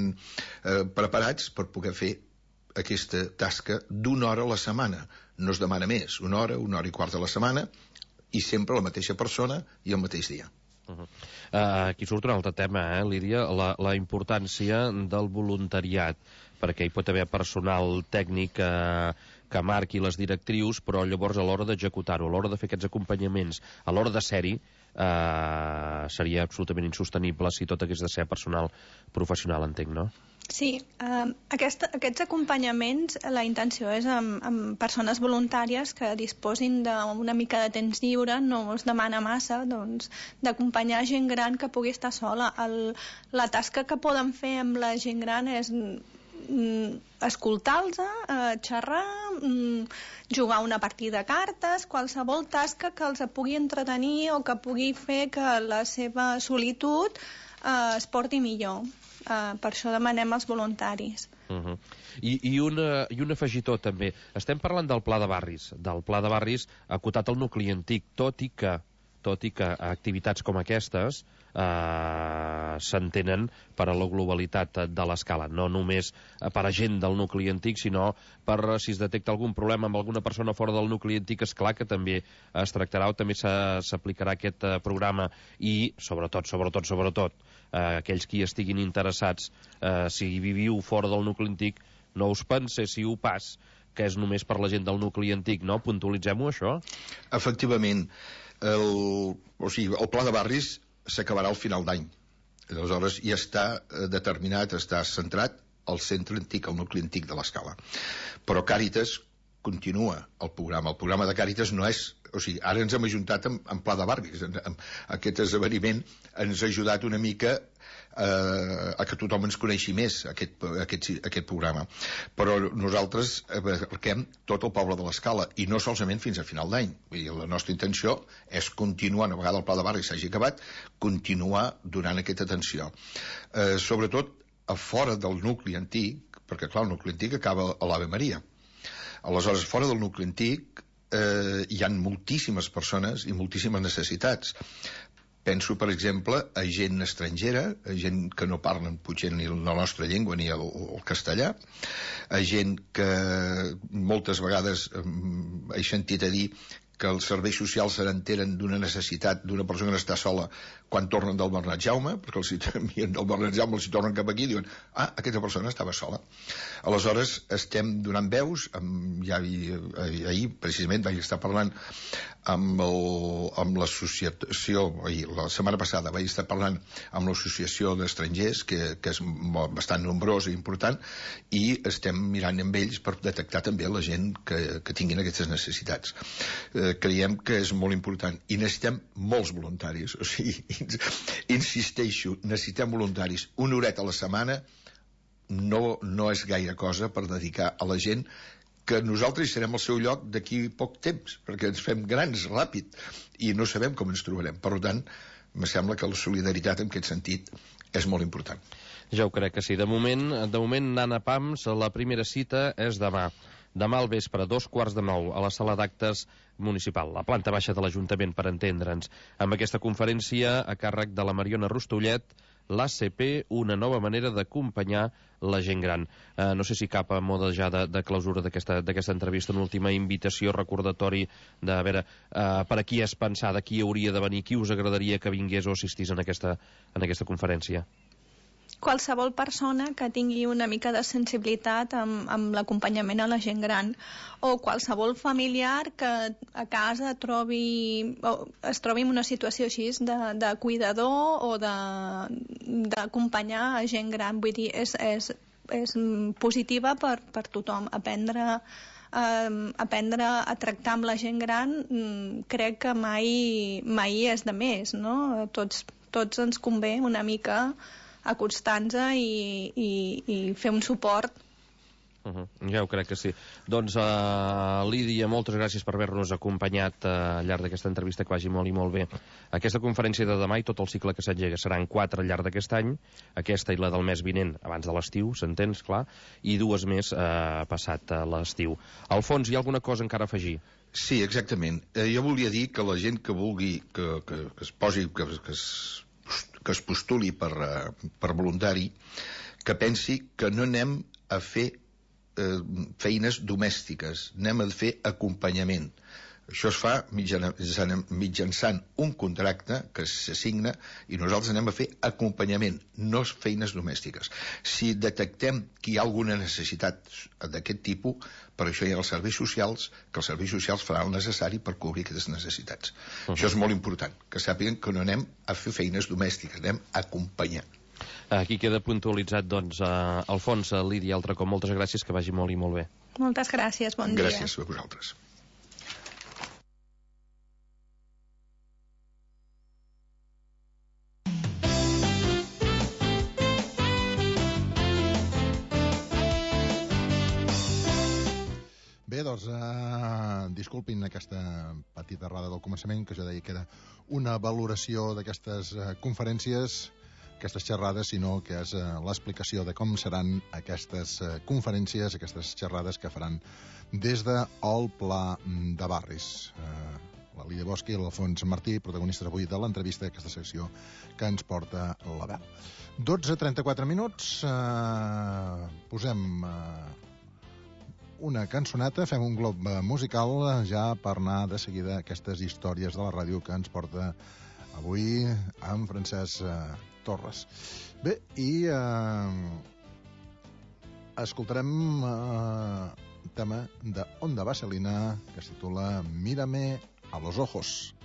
eh, preparats per poder fer aquesta tasca d'una hora a la setmana. No es demana més, una hora, una hora i quart a la setmana, i sempre la mateixa persona i el mateix dia. Uh-huh. uh, aquí surt un altre tema, eh, Lídia, la, la importància del voluntariat, perquè hi pot haver personal tècnic que, que marqui les directrius, però llavors a l'hora d'executar-ho, a l'hora de fer aquests acompanyaments, a l'hora de ser-hi, eh, seria absolutament insostenible si tot hagués de ser personal professional, entenc, no? Sí, eh, aquesta, aquests acompanyaments, la intenció és amb, amb persones voluntàries que disposin d'una mica de temps lliure, no es demana massa, doncs, d'acompanyar gent gran que pugui estar sola. El, la tasca que poden fer amb la gent gran és mm, escoltar-los, eh, xerrar, mm, jugar una partida de cartes, qualsevol tasca que els pugui entretenir o que pugui fer que la seva solitud eh, es porti millor. Uh, per això demanem als voluntaris. Uh-huh. I, i, una, I un afegitó també. Estem parlant del Pla de Barris, del Pla de Barris acotat al nucli antic, tot i que, tot i que activitats com aquestes eh, s'entenen per a la globalitat de l'Escala, no només per a gent del nucli antic, sinó per si es detecta algun problema amb alguna persona fora del nucli antic, és clar que també es tractarà o també s'aplicarà aquest eh, programa, i sobretot, sobretot, sobretot eh, aquells qui estiguin interessats, eh, si viviu fora del nucli antic, no us penséssiu pas que és només per la gent del nucli antic, no? Puntualitzem-ho, això? Efectivament. El, o sigui, el Pla de Barris s'acabarà al final d'any. Aleshores ja està determinat, està centrat al centre antic, al nucli antic de l'Escala. Però Càritas continua el programa. El programa de Càritas no és... O sigui, ara ens hem ajuntat en, en Pla de Barris. En, en, aquest esdeveniment ens ha ajudat una mica eh, a que tothom ens coneixi més, aquest, aquest, aquest programa. Però nosaltres abarquem tot el poble de l'Escala, i no solament fins a final d'any. La nostra intenció és continuar, una vegada el Pla de Barris s'hagi acabat, continuar donant aquesta atenció. Eh, sobretot a fora del nucli antic, perquè clar, el nucli antic acaba a l'Ave Maria. Aleshores, fora del nucli antic eh, hi ha moltíssimes persones i moltíssimes necessitats. Penso, per exemple, a gent estrangera, a gent que no parlen potser ni la nostra llengua ni el, el castellà, a gent que moltes vegades eh, he sentit a dir que els serveis socials se n'enteren d'una necessitat d'una persona que està sola quan tornen del Bernat Jaume, perquè els envien del Bernat Jaume, els hi tornen cap aquí i diuen, ah, aquesta persona estava sola. Aleshores, estem donant veus, amb, ja vi, ahir precisament vaig estar parlant amb, el, amb l'associació, la setmana passada vaig estar parlant amb l'associació d'estrangers, que, que és bastant nombrosa i important, i estem mirant amb ells per detectar també la gent que, que tinguin aquestes necessitats. Eh, creiem que és molt important i necessitem molts voluntaris, o sigui, insisteixo, necessitem voluntaris. Una horeta a la setmana no, no és gaire cosa per dedicar a la gent que nosaltres serem al seu lloc d'aquí poc temps, perquè ens fem grans ràpid i no sabem com ens trobarem. Per tant, me sembla que la solidaritat en aquest sentit és molt important. Ja ho crec que sí. De moment, de moment Nana Pams, la primera cita és demà. Demà al vespre, dos quarts de nou, a la sala d'actes municipal, la planta baixa de l'Ajuntament, per entendre'ns. Amb aquesta conferència, a càrrec de la Mariona Rostollet, l'A C P, una nova manera d'acompanyar la gent gran. Eh, no sé si cap a moda ja de, de clausura d'aquesta entrevista, una última invitació, recordatori de, a veure, eh, per a qui és pensada, qui hauria de venir, qui us agradaria que vingués o assistís en aquesta, en aquesta conferència? Qualsevol persona que tingui una mica de sensibilitat amb, amb l'acompanyament a la gent gran, o qualsevol familiar que a casa trobi, o es trobi en una situació així de, de cuidador o d'acompanyar a gent gran. Vull dir, és, és, és positiva per, per tothom. Aprendre, eh, aprendre a tractar amb la gent gran crec que mai, mai és de més, no? Tots, tots ens convé una mica acostar-nos i, i, i fer un suport. Uh -huh. Ja ho crec que sí. Doncs, uh, Lídia, moltes gràcies per haver-nos acompanyat uh, al llarg d'aquesta entrevista, que vagi molt i molt bé. Aquesta conferència de demà i tot el cicle que s'engega seran quatre al llarg d'aquest any, aquesta i la del mes vinent abans de l'estiu, s'entens, clar, i dues més uh, passat uh, l'estiu. Alfons, hi ha alguna cosa encara a afegir? Sí, exactament. Eh, jo volia dir que la gent que vulgui que, que, que es posi, que, que es que es postuli per, per voluntari, que pensi que no anem a fer eh, feines domèstiques, anem a fer acompanyament. Això es fa mitjançant un contracte que s'assigna i nosaltres anem a fer acompanyament, no feines domèstiques. Si detectem que hi ha alguna necessitat d'aquest tipus, per això hi ha els serveis socials, que els serveis socials faran el necessari per cobrir aquestes necessitats. Uh-huh. Això és molt important, que sàpiguen que no anem a fer feines domèstiques, anem a acompanyar. Aquí queda puntualitzat, doncs, uh, Alfons, Lídia, altre cop, moltes gràcies, que vagi molt i molt bé. Moltes gràcies, bon dia. Gràcies a vosaltres. Bé, doncs, uh, disculpin aquesta petita errada del començament, que jo deia que era una valoració d'aquestes uh, conferències, aquestes xerrades, sinó que és uh, l'explicació de com seran aquestes uh, conferències, aquestes xerrades que faran des del Pla de Barris. Uh, la Lídia Bosch i l'Alfons Martí, protagonistes avui de l'entrevista d'aquesta secció que ens porta la veu. dotze trenta-quatre minuts, uh, posem... Uh, una cançoneta, fem un glob musical ja per anar de seguida a aquestes històries de la ràdio que ens porta avui amb Francesc eh, Torres. Bé, i eh, escoltarem eh, un tema de Onda Vaselina que es titula Mírame a los ojos.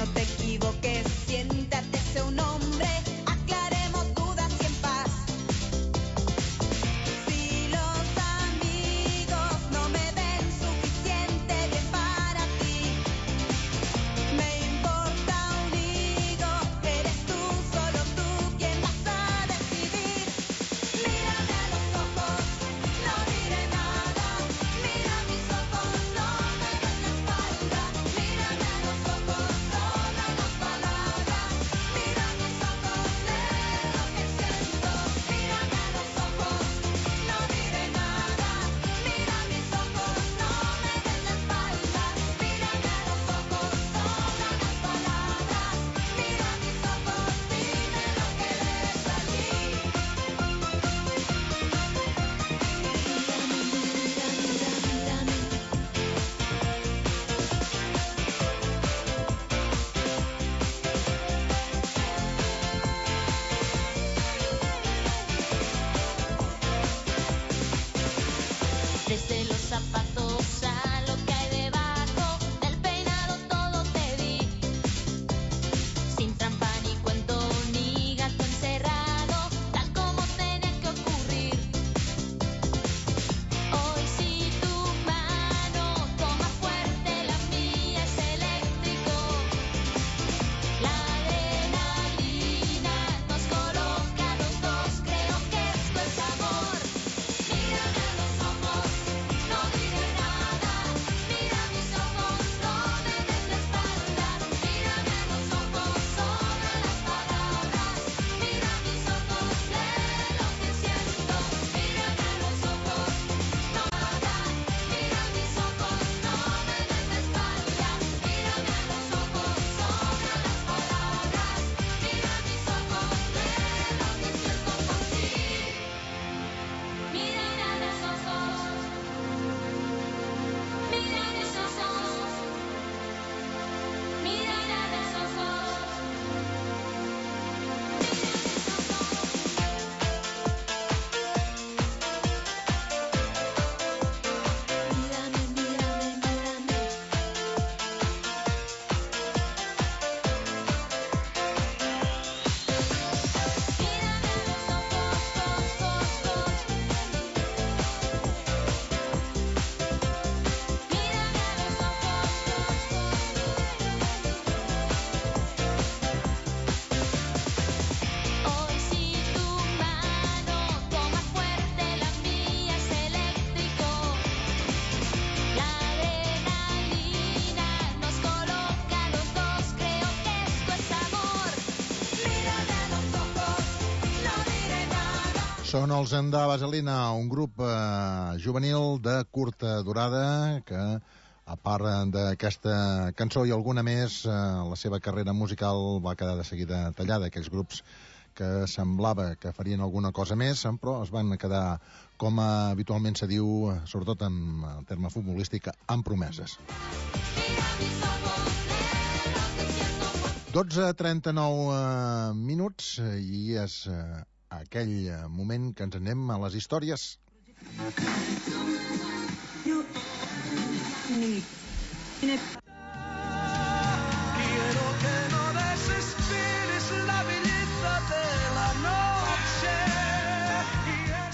no te equivoques, siéntate, sé un hombre, aclaremos dudas y en paz. Si los amigos no me ven suficiente bien para ti, me importa un higo, eres tú, solo tú quien vas a decidir. Mírame a los ojos, no diré nada, mira mis ojos, no me des la espalda. Mírame a los ojos, todas las palabras, mira mis ojos, lee lo que siento. Mírame a los ojos, no diré nada, mira mis ojos, no me des la espalda. Mírame a los ojos, todas las palabras, mira mis ojos, dime lo que ves allí. Desde los zapatos a lo que hay debajo del peinado todo te di, sin trampa ni cuento ni gato encerrado, tal como tenía que ocurrir. Hoy si tu mano toma fuerte, la mía es eléctrico. La adrenalina nos coloca a los dos, creo que esto es amor. Mírame a los ojos, no diré nada, mira mis ojos, no me des la espalda. Mírame a los ojos, sobran las palabras, mira mis ojos, lee lo que siento. Mírame a los ojos, no nada, mira mis ojos, no me des la espalda. Mírame a los ojos, sobran las palabras, mira mis ojos, lee lo que siento por ti. Mírame a los ojos, mira mis ojos, mírame a los ojos, mírame, mírame, mírame. Mírame a los ojos, dos, dos, dos. Mírame a los ojos, dos, dos. Hoy si tu mano toma fuerte, la mía es eléctrico. La adrenalina nos coloca a los dos, creo que esto es amor. Mírame a los ojos, no diré nada. Són els Enda Vaselina, un grup eh, juvenil de curta durada que, a part d'aquesta cançó i alguna més, eh, la seva carrera musical va quedar de seguida tallada. Aquells grups que semblava que farien alguna cosa més, però es van quedar, com habitualment se diu, sobretot en el terme futbolístic, amb promeses. dotze trenta-nou eh, minuts eh, i és eh, aquell eh, moment que ens anem a les històries. Quiero que no desesperes la belleza de la noche.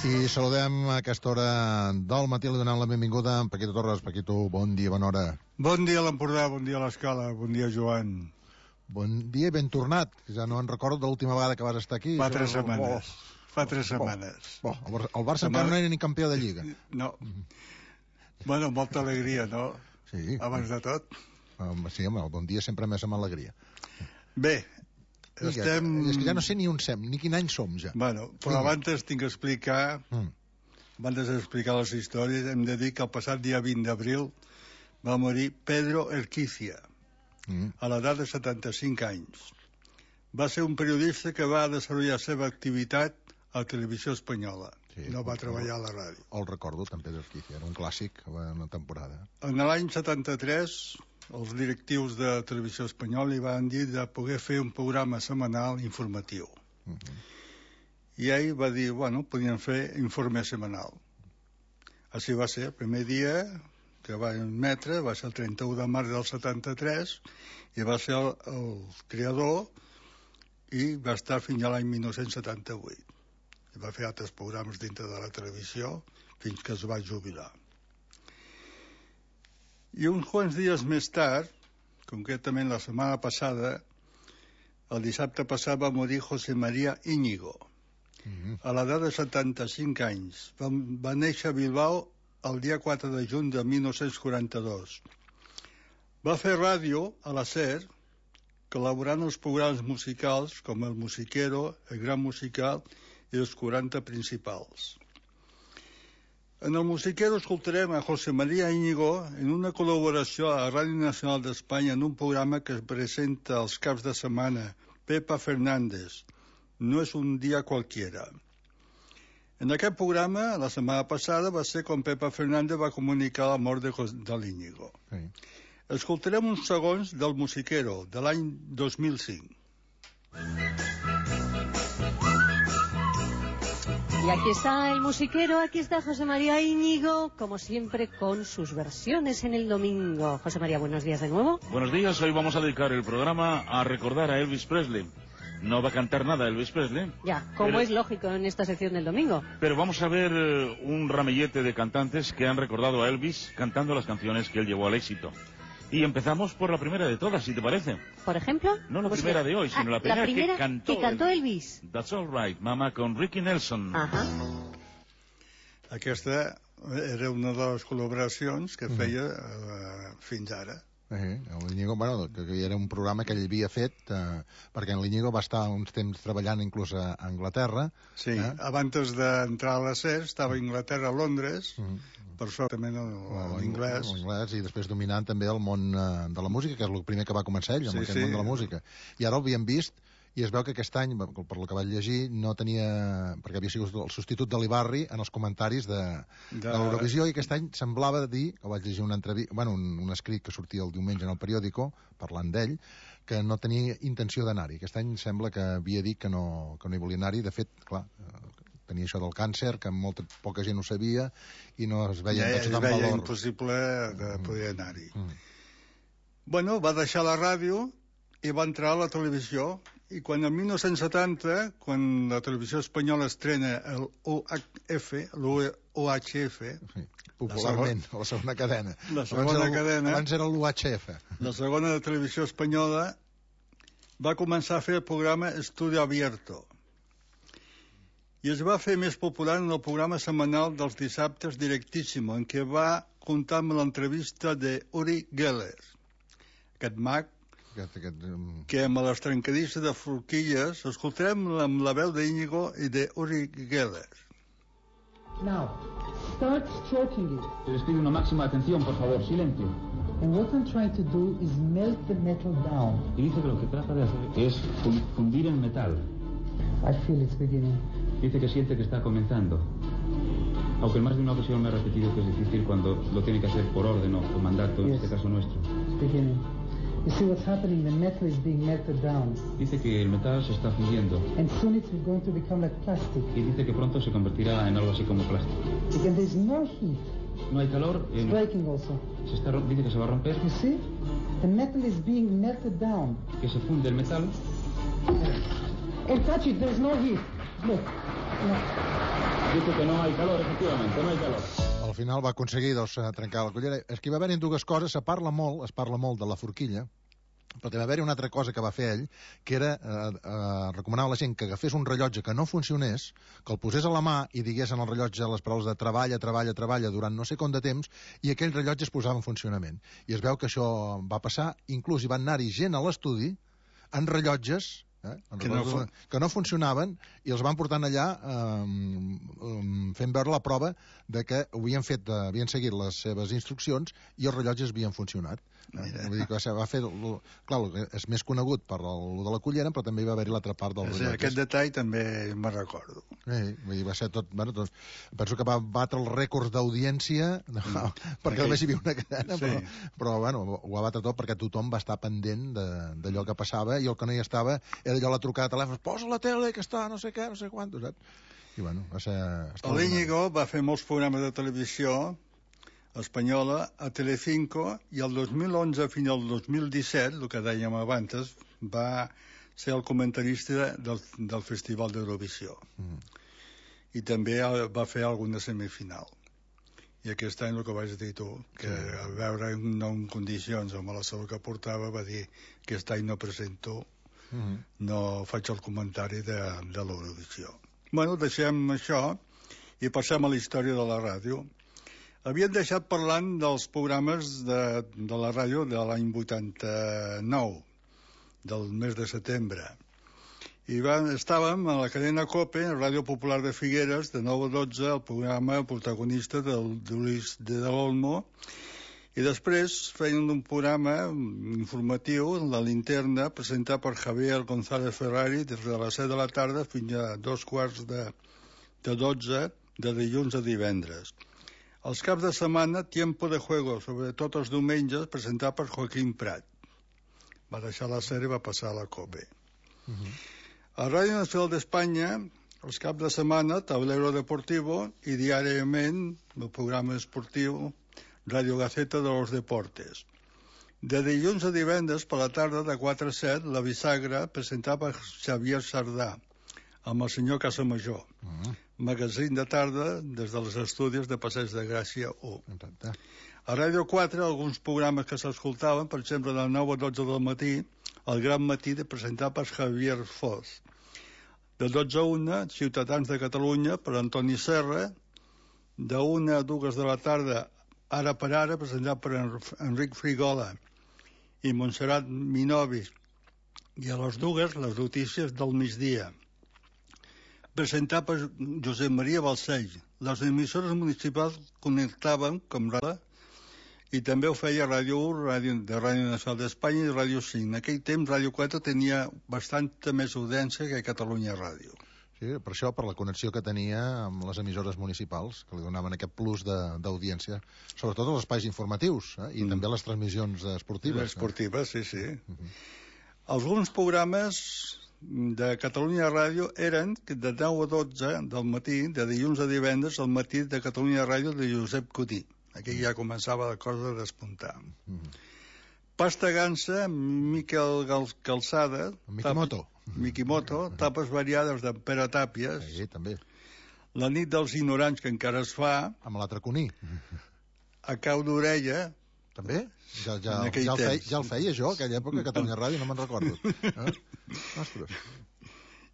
I saludem a aquesta hora del matí, li donant la benvinguda a Paquito Torres. Paquito, bon dia, bona hora. Bon dia a l'Empordà, bon dia a l'Escala, bon dia Joan. Bon dia i ben tornat. Ja no en recordo de l'última vegada que vas estar aquí. Fa tres Oh, setmanes. oh. Fa tres setmanes. Bo, el, Bar el Barça encara no era ni campió de Lliga. No. Bueno, molta alegria, no? Sí. Abans de tot. Um, sí, home, el bon dia sempre més amb alegria. Bé, Digue, estem... És que ja no sé ni on sem, ni quin any som, ja. Bueno, però abans tinc que explicar... Mm. Abans d'explicar les històries, hem de dir que el passat dia vint d'abril va morir Pedro Erquicia, mm. a l'edat de setanta-cinc anys. Va ser un periodista que va desenvolupar la seva activitat a Televisió Espanyola. Sí, no va treballar a la ràdio. El recordo, també Pedro Erquicia, era un clàssic a una temporada. En l'any setanta-tres, els directius de Televisió Espanyola li van dir de poder fer un programa setmanal informatiu. Mm -hmm. I ell va dir, bueno, podien fer informe setmanal. Així va ser, el primer dia que va emetre va ser el trenta-u de març del setanta-tres i va ser el, el creador i va estar fins a l'any mil nou-cents setanta-vuit. I va fer altres programes dintre de la televisió fins que es va jubilar. I uns quants dies més tard, concretament la setmana passada, el dissabte passat va morir José María Íñigo, mm-hmm. a l'edat de setanta-cinc anys. Va, va néixer a Bilbao el dia quatre de juny de mil nou-cents quaranta-dos. Va fer ràdio a la SER, col·laborant en els programes musicals com el Musiquero, el Gran Musical i els quaranta principals. En el Musiquero escoltarem a José María Íñigo en una col·laboració a Ràdio Nacional d'Espanya en un programa que es presenta els caps de setmana, Pepa Fernández, No és un dia cualquiera. En aquest programa, la setmana passada, va ser quan Pepa Fernández va comunicar la mort de, de l'Íñigo. Sí. Escoltarem uns segons del Musiquero, de l'any dos mil cinc. Y aquí está el Musiquero, aquí está José María Íñigo, como siempre con sus versiones en el domingo. José María, buenos días de nuevo. Buenos días, hoy vamos a dedicar el programa a recordar a Elvis Presley. No va a cantar nada Elvis Presley. Ya, como pero, es lógico en esta sección del domingo. Pero vamos a ver uh, un ramillete de cantantes que han recordado a Elvis cantando las canciones que él llevó al éxito. Y empezamos por la primera de todas, si te parece. ¿Por ejemplo? No la primera de hoy, sino ah, la, primera la primera que cantó, que cantó Elvis. Elvis. That's All Right, Mama, con Ricky Nelson. Ajá. Aquesta era una de les col·laboracions que feia uh, fins ara. Eh, l'Íñigo, bueno, que, que era un programa que ell havia fet eh, perquè en l'Íñigo va estar uns temps treballant inclús a Anglaterra. Sí, eh? Abans d'entrar a la SER estava a Anglaterra, a Londres, mm. per sort també l'anglès. L'anglès i després dominant també el món eh, de la música, que és el primer que va començar ell, amb sí, aquest sí. món de la música. I ara el havíem vist i es veu que aquest any, per lo que vaig llegir, no tenia... perquè havia sigut el substitut de l'Ibarri en els comentaris de, de... de l'Eurovisió, i aquest any semblava dir, que vaig llegir una entrevista, bueno, un, un escrit que sortia el diumenge en el periòdico, parlant d'ell, que no tenia intenció d'anar-hi. Aquest any sembla que havia dit que no, que no hi volia anar-hi. De fet, clar, tenia això del càncer, que molta poca gent ho sabia, i no es veia ja, tant valor. Es veia valor. impossible de poder anar-hi. Mm. Bueno, va deixar la ràdio i va entrar a la televisió. I quan en mil nou-cents setanta, quan la televisió espanyola estrena el U H F, l'U H F... Sí, popularment, la, segona, la segona cadena. La segona abans cadena... Abans era l'U H F. La segona de televisió espanyola va començar a fer el programa Estudio Abierto. I es va fer més popular en el programa setmanal dels dissabtes Directísimo, en què va comptar amb l'entrevista de Uri Geller, aquest mag Aquest, aquest, um... que amb les trencadisses de forquilles escoltarem amb la veu d'Íñigo i de Uri Geller. Now, start stroking it. Les pido una máxima atención, por favor, silencio. And what I'm trying to do is melt the metal down. Y dice que lo que trata de hacer es fundir el metal. I feel it's beginning. Dice que siente que está comenzando. Aunque en más de una ocasión me ha repetido que es difícil cuando lo tiene que hacer por orden o por mandato, yes. En este caso nuestro. It's beginning. You see what's happening? The metal is being melted down. Dice que el metal se está fundiendo. And soon it's going to become like plastic. Y dice que pronto se convertirá en algo así como plástico. Because there's no heat. No hay calor. It's en... breaking also. Se está, dice que se va a romper. You see? The metal is being melted down. Que se funde el metal. And touch it, there's no heat. Look. No. Dice que no hay calor, efectivamente, no hay calor. Al final va aconseguir doncs, trencar la cullera. És que hi va haver-hi dues coses, se parla molt, es parla molt de la forquilla, però també va haver-hi una altra cosa que va fer ell, que era eh, eh, recomanar a la gent que agafés un rellotge que no funcionés, que el posés a la mà i digués en el rellotge les paraules de treballa, treballa, treballa durant no sé com de temps, i aquell rellotge es posava en funcionament. I es veu que això va passar, inclús hi van anar-hi gent a l'estudi en rellotges Eh? Que, no fun... que no funcionaven i els van portant allà eh, fent veure la prova de que havien fet, eh, havien seguit les seves instruccions i els rellotges havien funcionat. Eh? Vull dir que va, ser, va fer... Clar, és més conegut per el de la cullera, però també hi va haver-hi l'altra part del rellotge. Aquest detall també me'n recordo. Eh, vull dir, va ser tot... Bueno, doncs, penso que va batre els rècords d'audiència, no, mm. perquè només hi havia una cadena, sí. però, però bueno, ho va batre tot perquè tothom va estar pendent d'allò que passava i el que no hi estava era allò la trucada de telèfon, posa la tele que està no sé què, no sé quant, saps? I bueno, va ser... L'Íñigo va fer molts programes de televisió, espanyola, a Telecinco, i el dos mil onze fins al dos mil disset, el que dèiem abans, va ser el comentarista del, del Festival d'Eurovisió. Mm. I també va fer alguna semifinal. I aquest any, el que vaig dir tu, que sí. A veure no en condicions, amb la salut que portava, va dir que aquest any no presento, mm-hmm. no faig el comentari de, de l'Eurovisió. Bueno, deixem això i passem a la història de la ràdio. Havíem deixat parlant dels programes de, de la ràdio de l'any vuitanta-nou, del mes de setembre. I van, estàvem a la cadena COPE, Ràdio Popular de Figueres, de nou a dotze, el programa protagonista del Luis de l'Olmo, i després feien un programa informatiu, La Linterna, presentat per Javier González Ferrari, des de les set de la tarda fins a dos quarts de, de dotze, de dilluns a divendres. Els caps de setmana, Tiempo de Juego, sobretot els diumenges, presentat per Joaquín Prat. Va deixar la sèrie i va passar a la COPE. Uh-huh. A Ràdio Nacional d'Espanya, els caps de setmana, Tablero Deportivo, i diàriament el programa esportiu Radio Gaceta de los Deportes. De dilluns a divendres, per la tarda, de quatre a set, La Bisagra, presentada per Xavier Sardà, amb el senyor Casamajor. Uh-huh. Magazín de tarda, des dels estudis de Passeig de Gràcia u. Uh-huh. A Ràdio quatre, alguns programes que s'escoltaven, per exemple, de nou a dotze del matí, El Gran Matí, de presentar per Javier Foz. De dotze a una, Ciutadans de Catalunya, per Antoni Serra. De una a dues de la tarda, Ara per Ara, presentat per Enric Frigola i Montserrat Minovis. I a les dues, les notícies del migdia, presentat per Josep Maria Balcells. Les emissores municipals connectaven, com Ràdio, i també ho feia Ràdio u, Ràdio, de Ràdio Nacional d'Espanya i Ràdio cinc. En aquell temps, Ràdio quatre tenia bastanta més audiència que Catalunya Ràdio. Sí, per això, per la connexió que tenia amb les emissores municipals, que li donaven aquest plus d'audiència, sobretot els espais informatius, eh? I mm. també les transmissions esportives. Esportives, eh? sí, sí. Mm-hmm. Alguns programes de Catalunya Ràdio eren de deu a dotze del matí, de dilluns a divendres, al matí de Catalunya Ràdio de Josep Cotí. Aquí ja començava la cosa a despuntar. Mm. Pasta Gansa, Miquel Calçada... Mikimoto. Tap, Mikimoto, tapes variades de Pere Tàpies. Sí, també. La nit dels ignorants, que encara es fa. Amb l'altre Cuní. A cau d'orella. També? Ja, ja, ja, el feia, ja el feia jo, aquella època, a Catalunya Ràdio, no me'n recordo. Eh? Ostres.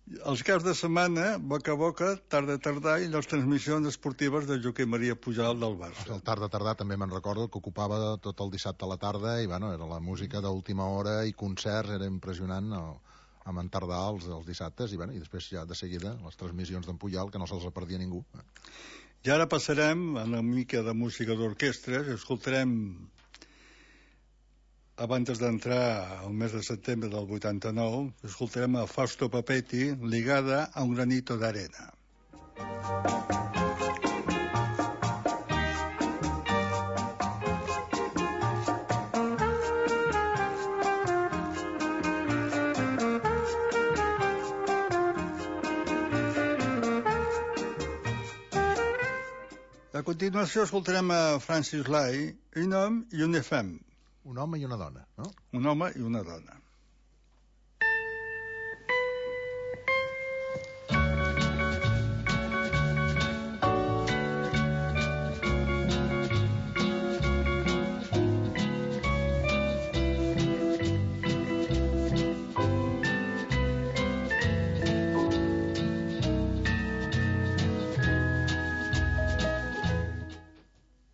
Els caps de setmana, boca a boca, tarda a tardar, i les transmissions esportives de Joaquim Maria Pujol del Barça. El tarda a tardar també me'n recordo, que ocupava tot el dissabte a la tarda, i bueno, era la música d'última hora i concerts, era impressionant el, amb en tardar els, els dissabtes, i, bueno, i després ja de seguida les transmissions d'en Pujol, que no se'ls perdia ningú. I ara passarem a una mica de música d'orquestres, escoltarem, abans d'entrar al mes de setembre del vuitanta-nou, escoltarem a Fausto Papetti, Ligada a un granito d'arena. A continuació escoltarem a Francis Lai, Un homme i una femme. Un home i una dona, no? Un home i una dona.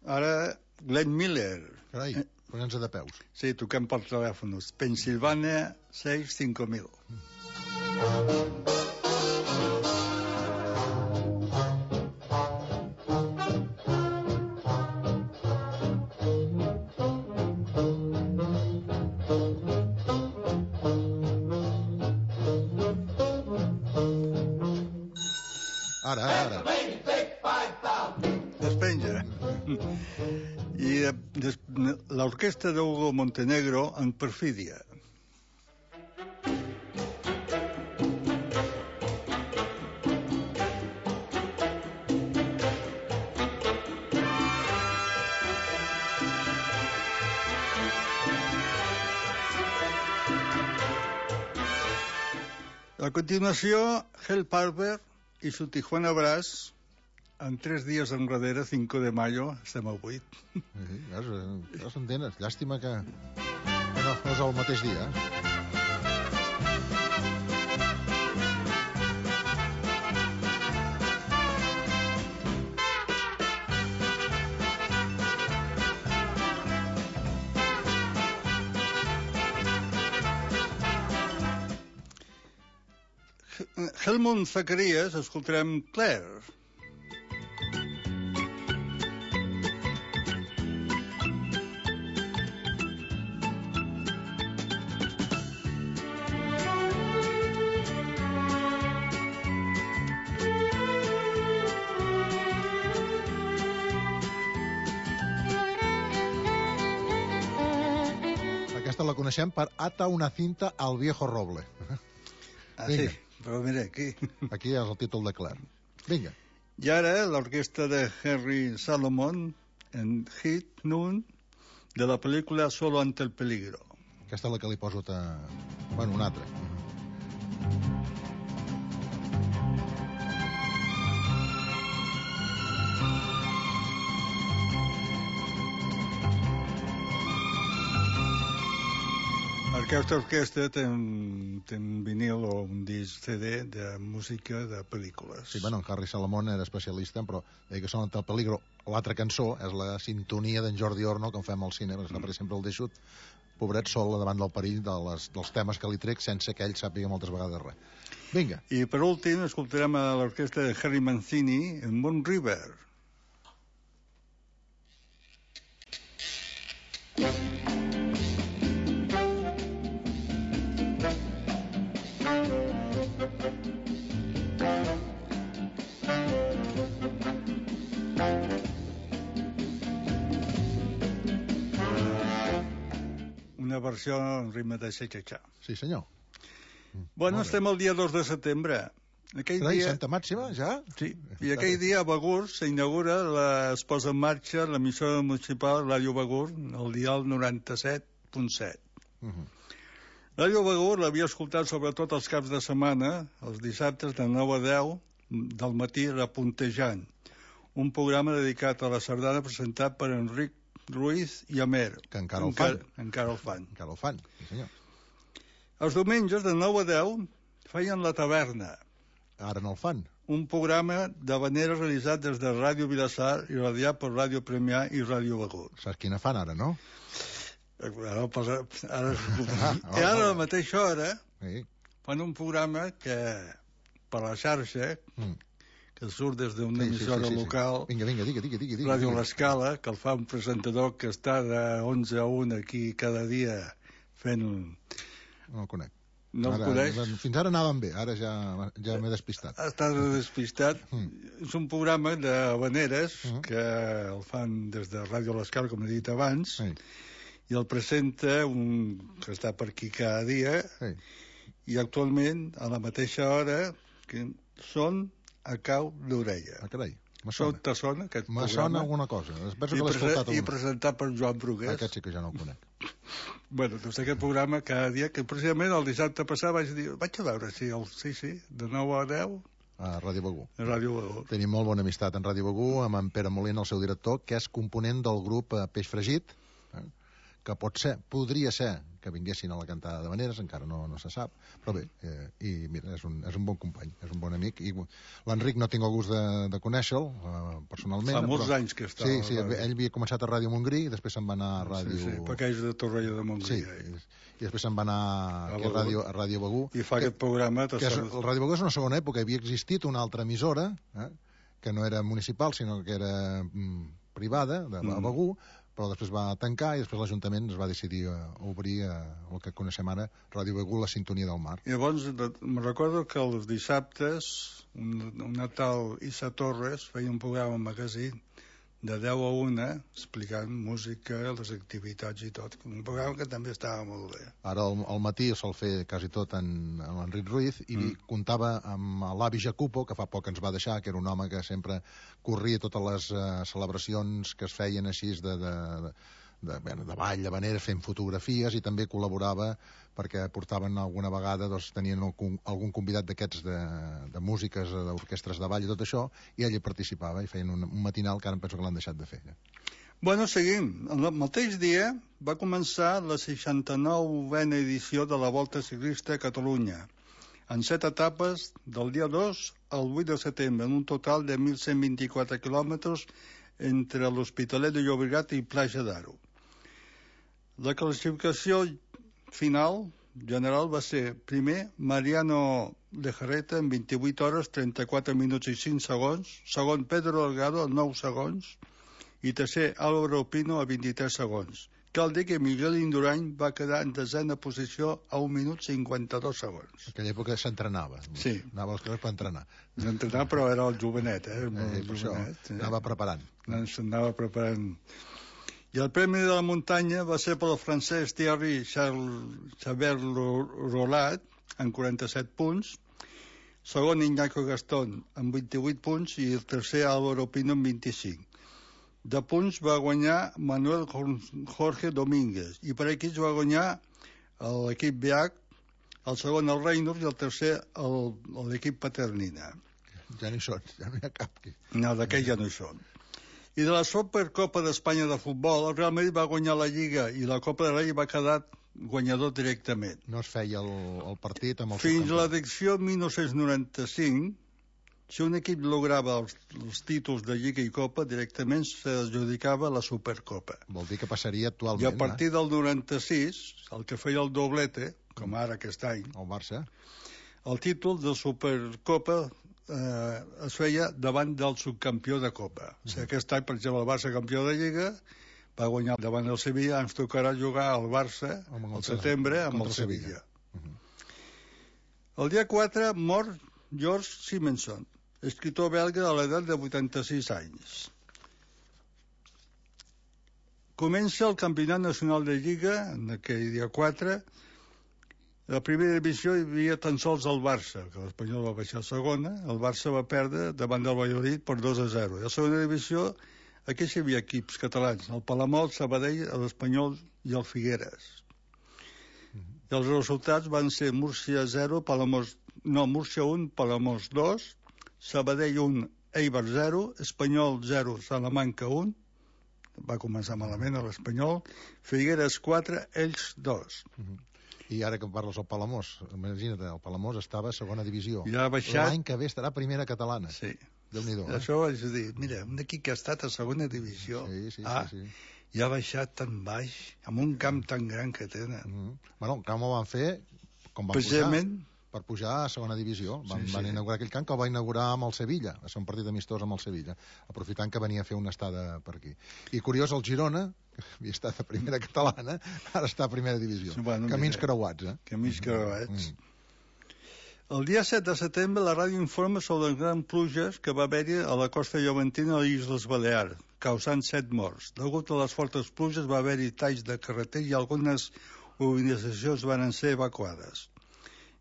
Ara, Glenn Miller. Carai. Posant-se de peus. Sí, toquem per telèfons. Pensilvània sis cinc mil. Ara, ara. Despenja. I l'orquestra d'Hugo Montenegro en Perfídia. A continuació, Hell Parver y su Tijuana Brass, en tres dies enrere, cinco de mayo, estem a vuit. Sí, ja, ja s'entén. Llàstima que, que no, no és el mateix dia. Eh? Helmut Zacharias, escoltarem Claire. Aquesta la coneixem per Ata una cinta al viejo roble. Ah, sí, però mira, aquí. Aquí és el títol de Claire. Vinga. I ara l'orquestra de Henry Salomon en Hit Noon de la pel·lícula Solo ante el peligro. Aquesta és la que li poso ta... bueno, una altra. Aquesta orquestra té un, té un vinil o un disc C D de música de pel·lícules. Sí, bueno, en Harry Salomon era especialista, però deia que Solo ante el peligro, l'altra cançó, és la sintonia d'en Jordi Orno, que en fem al cine, perquè mm. per exemple el deixut, pobret sol davant del perill de les, dels temes que li trec sense que ell sàpiga moltes vegades res. Vinga. I per últim escoltarem a l'orquestra de Harry Mancini en Moon River. Una versió en ritme de xa-xa-xa. Sí, senyor. Bueno, estem el dia dos de setembre. Aquell Carai, dia... Santa Màxima, ja? Sí, i aquell dia a Begur s'inaugura, la... es posa en marxa l'emissora municipal Ràdio Begur, el dial noranta-set punt set. Uh -huh. Ràdio Begur l'havia escoltat sobretot els caps de setmana, els dissabtes de nou a deu del matí, Repuntejant, un programa dedicat a la sardana presentat per Enric Ruiz i Amer. Que encara el fan. Encara, encara el fan. Encara el fan, sí senyor. Els diumenges de nou a deu feien La Taverna. Ara no el fan. Un programa d'habaneres realitzat des de Ràdio Vilassar i radiat per Ràdio Premià i Ràdio Begur. Saps quina fan ara, no? Ara, ara, ara, I ara a la mateixa hora sí. fan un programa que per la xarxa mm. que surt des d'una sí, emissora sí, sí, sí, local, sí. Vinga, vinga, digue, digue, digue, Ràdio digue. L'Escala, que el fa un presentador que està de onze a una aquí cada dia fent... No el conec. No el ara, coneix? Fins ara anaven bé, ara ja, ja m'he despistat. Està despistat. Mm. És un programa d'habaneres mm. que el fan des de Ràdio L'Escala, com he dit abans, sí. i el presenta un que està per aquí cada dia, sí. i actualment, a la mateixa hora, que són a cau d'orella. Ah, carai. Me sona. Te sona aquest Me programa? sona alguna cosa. Penso I, que l'he escoltat I presentat per Joan Brugués. Aquest sí que ja no el conec. Bueno, doncs aquest programa cada dia, que precisament el dissabte passat vaig dir, vaig a veure si el... Sí, sí, de nou a deu... A Ràdio Begur. A Ràdio Begur. Tenim molt bona amistat en Ràdio Begur, amb en Pere Molina, el seu director, que és component del grup Peix Fregit, eh? que pot ser, podria ser que vinguessin a la cantada d'habaneres, encara no, no se sap, però bé, eh, i mira, és un, és un bon company, és un bon amic, i l'Enric no tinc el gust de, de conèixer-lo, eh, personalment. Fa molts però... anys que està. Sí, sí, ell havia començat a Ràdio Montgrí, i després se'n va anar a Ràdio... Sí, sí, perquè és de Torroella de Montgrí. Sí, i, i després se'n va anar a, a, Ràdio, a Ràdio Begur. I fa que, aquest programa... Que és, el Ràdio Begur és una segona època, havia existit una altra emissora, eh, que no era municipal, sinó que era mm, privada, de mm. Begur, però després va tancar i després l'Ajuntament es va decidir a obrir a, el que coneixem ara, Ràdio Begur, la sintonia del mar. I llavors me recordo que els dissabtes una tal Issa Torres feia un programa al magazín de deu a una explicant música, les activitats i tot. Un programa que també estava molt bé. Ara al, al matí el sol fer quasi tot en, en l'Enric Ruiz i mm. comptava amb l'avi Jacopo, que fa poc ens va deixar, que era un home que sempre corria totes les uh, celebracions que es feien així de, de, de, bueno, de ball, de manera, fent fotografies, i també col·laborava perquè portaven alguna vegada, doncs, tenien algun, algun convidat d'aquests de, de músiques, d'orquestres de ball i tot això, i ell hi participava i feien un, un matinal que ara em penso que l'han deixat de fer. Ja. Bueno, seguim. El mateix dia va començar la seixanta-novena edició de la Volta Ciclista a Catalunya, en set etapes del dia dos al vuit de setembre, en un total de mil cent vint-i-quatre quilòmetres entre l'Hospitalet de Llobregat i Platja d'Aro. La classificació final general va ser primer Mariano Lejarreta amb vint-i-vuit hores, trenta-quatre minuts i cinc segons, segon Pedro Delgado amb nou segons i tercer Álvaro Pino a vint-i-tres segons. Cal dir que Miguel Indurain va quedar en desena posició a un minut cinquanta-dos segons. En aquella època s'entrenava. Sí. Anava als carrers per entrenar. S'entrenava, però era el jovenet, eh? El eh per jovenet, això, eh? Anava preparant. S'anava preparant. I el Premi de la Muntanya va ser pel francès Thierry Chabert Rolat, amb quaranta-set punts, segon Iñaki Gastón, amb vint-i-vuit punts, i el tercer Álvaro Pino, amb vint-i-cinc. De punts va guanyar Manuel Jorge Domínguez, i per equips va guanyar l'equip B H, el segon el Reynolds i el tercer l'equip Paternina. Ja no hi són, ja no hi ha cap. No, d'aquells ja no hi són. I de la Supercopa d'Espanya de futbol, el Real Madrid va guanyar la Lliga i la Copa de Rei va quedar guanyador directament. No es feia el, el partit amb el Fins a l'edició mil nou-cents noranta-cinc, si un equip lograva els, els títols de Lliga i Copa, directament s'adjudicava la Supercopa. Vol dir que passaria actualment. I a partir eh? del noranta-sis, el que feia el doblete, com ara aquest any, el Barça, el títol de Supercopa eh, es feia davant del subcampió de Copa. Uh-huh. O sigui, aquest any, per exemple, el Barça campió de Lliga va guanyar davant del Sevilla, ens tocarà jugar al Barça al setembre amb el Sevilla. Uh-huh. El dia quatre mor George Simonson, escritor belga a l'edat de vuitanta-sis anys. Comença el Campionat Nacional de Lliga, en aquell dia quatre. La primera divisió hi havia tan sols el Barça, que l'Espanyol va baixar a segona. El Barça va perdre davant del Valladolid per dos a zero. I a la segona divisió, aquí hi havia equips catalans, el Palamós, el Sabadell, l'Espanyol i el Figueres. I els resultats van ser Múrcia zero, Palamós, no, Múrcia un, Palamós dos, Sabadell un, Eibar zero, Espanyol zero, Salamanca un, va començar malament a l'Espanyol, Figueres quatre, ells dos. Uh-huh. I ara que parles del Palamós, imagina't, el Palamós estava a segona divisió. Ja ha baixat... L'any que ve estarà a primera catalana. Sí. Déu-n'hi-do. Eh? Això vaig dir, mira, un equip que ha estat a segona divisió, sí, sí, ah, sí, sí. ja ha baixat tan baix, amb un camp tan gran que tenen. Uh-huh. Bueno, el camp ho van fer, com van Precisament... pujar, per pujar a segona divisió. Van, sí, sí. van inaugurar aquell camp que el va inaugurar amb el Sevilla, va ser un partit amistós amb el Sevilla, aprofitant que venia a fer una estada per aquí. I curiós, el Girona, que havia estat a primera catalana, ara està a primera divisió. Bueno, Camins mira, creuats, eh? Camins creuats. Mm. El dia set de setembre la ràdio informa sobre les grans pluges que va haver-hi a la costa llevantina de les Illes Balears, causant set morts. Degut a les fortes pluges va haver-hi talls de carreter i algunes urbanitzacions van ser evacuades.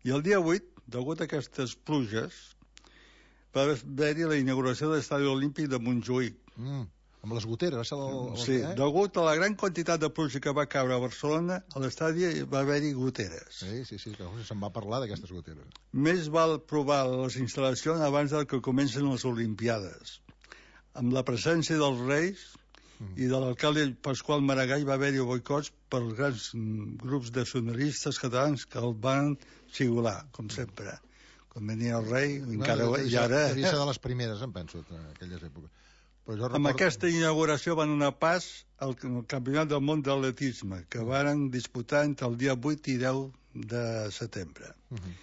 I el dia vuit, degut a aquestes pluges, va haver-hi la inauguració de l'Estadi Olímpic de Montjuïc. Mm, amb les goteres, va ser el... el sí, eh? degut a la gran quantitat de pluja que va caure a Barcelona, a l'estadi va haver-hi goteres. Sí, sí, sí, que se'n va parlar d'aquestes goteres. Més val provar les instal·lacions abans del que comencen les Olimpiades. Amb la presència dels Reis i de l'alcalde Pasqual Maragall va haver-hi boicots pels grans grups de nacionalistes catalans que el van xiular, com sempre. Quan venia el rei, no, encara... No, i ara... devia ser de les primeres, em penso, en aquelles èpoques. Però jo record... Amb aquesta inauguració van donar pas al Campionat del Món d'Atletisme, que varen disputar entre el dia vuit i deu de setembre. Uh-huh.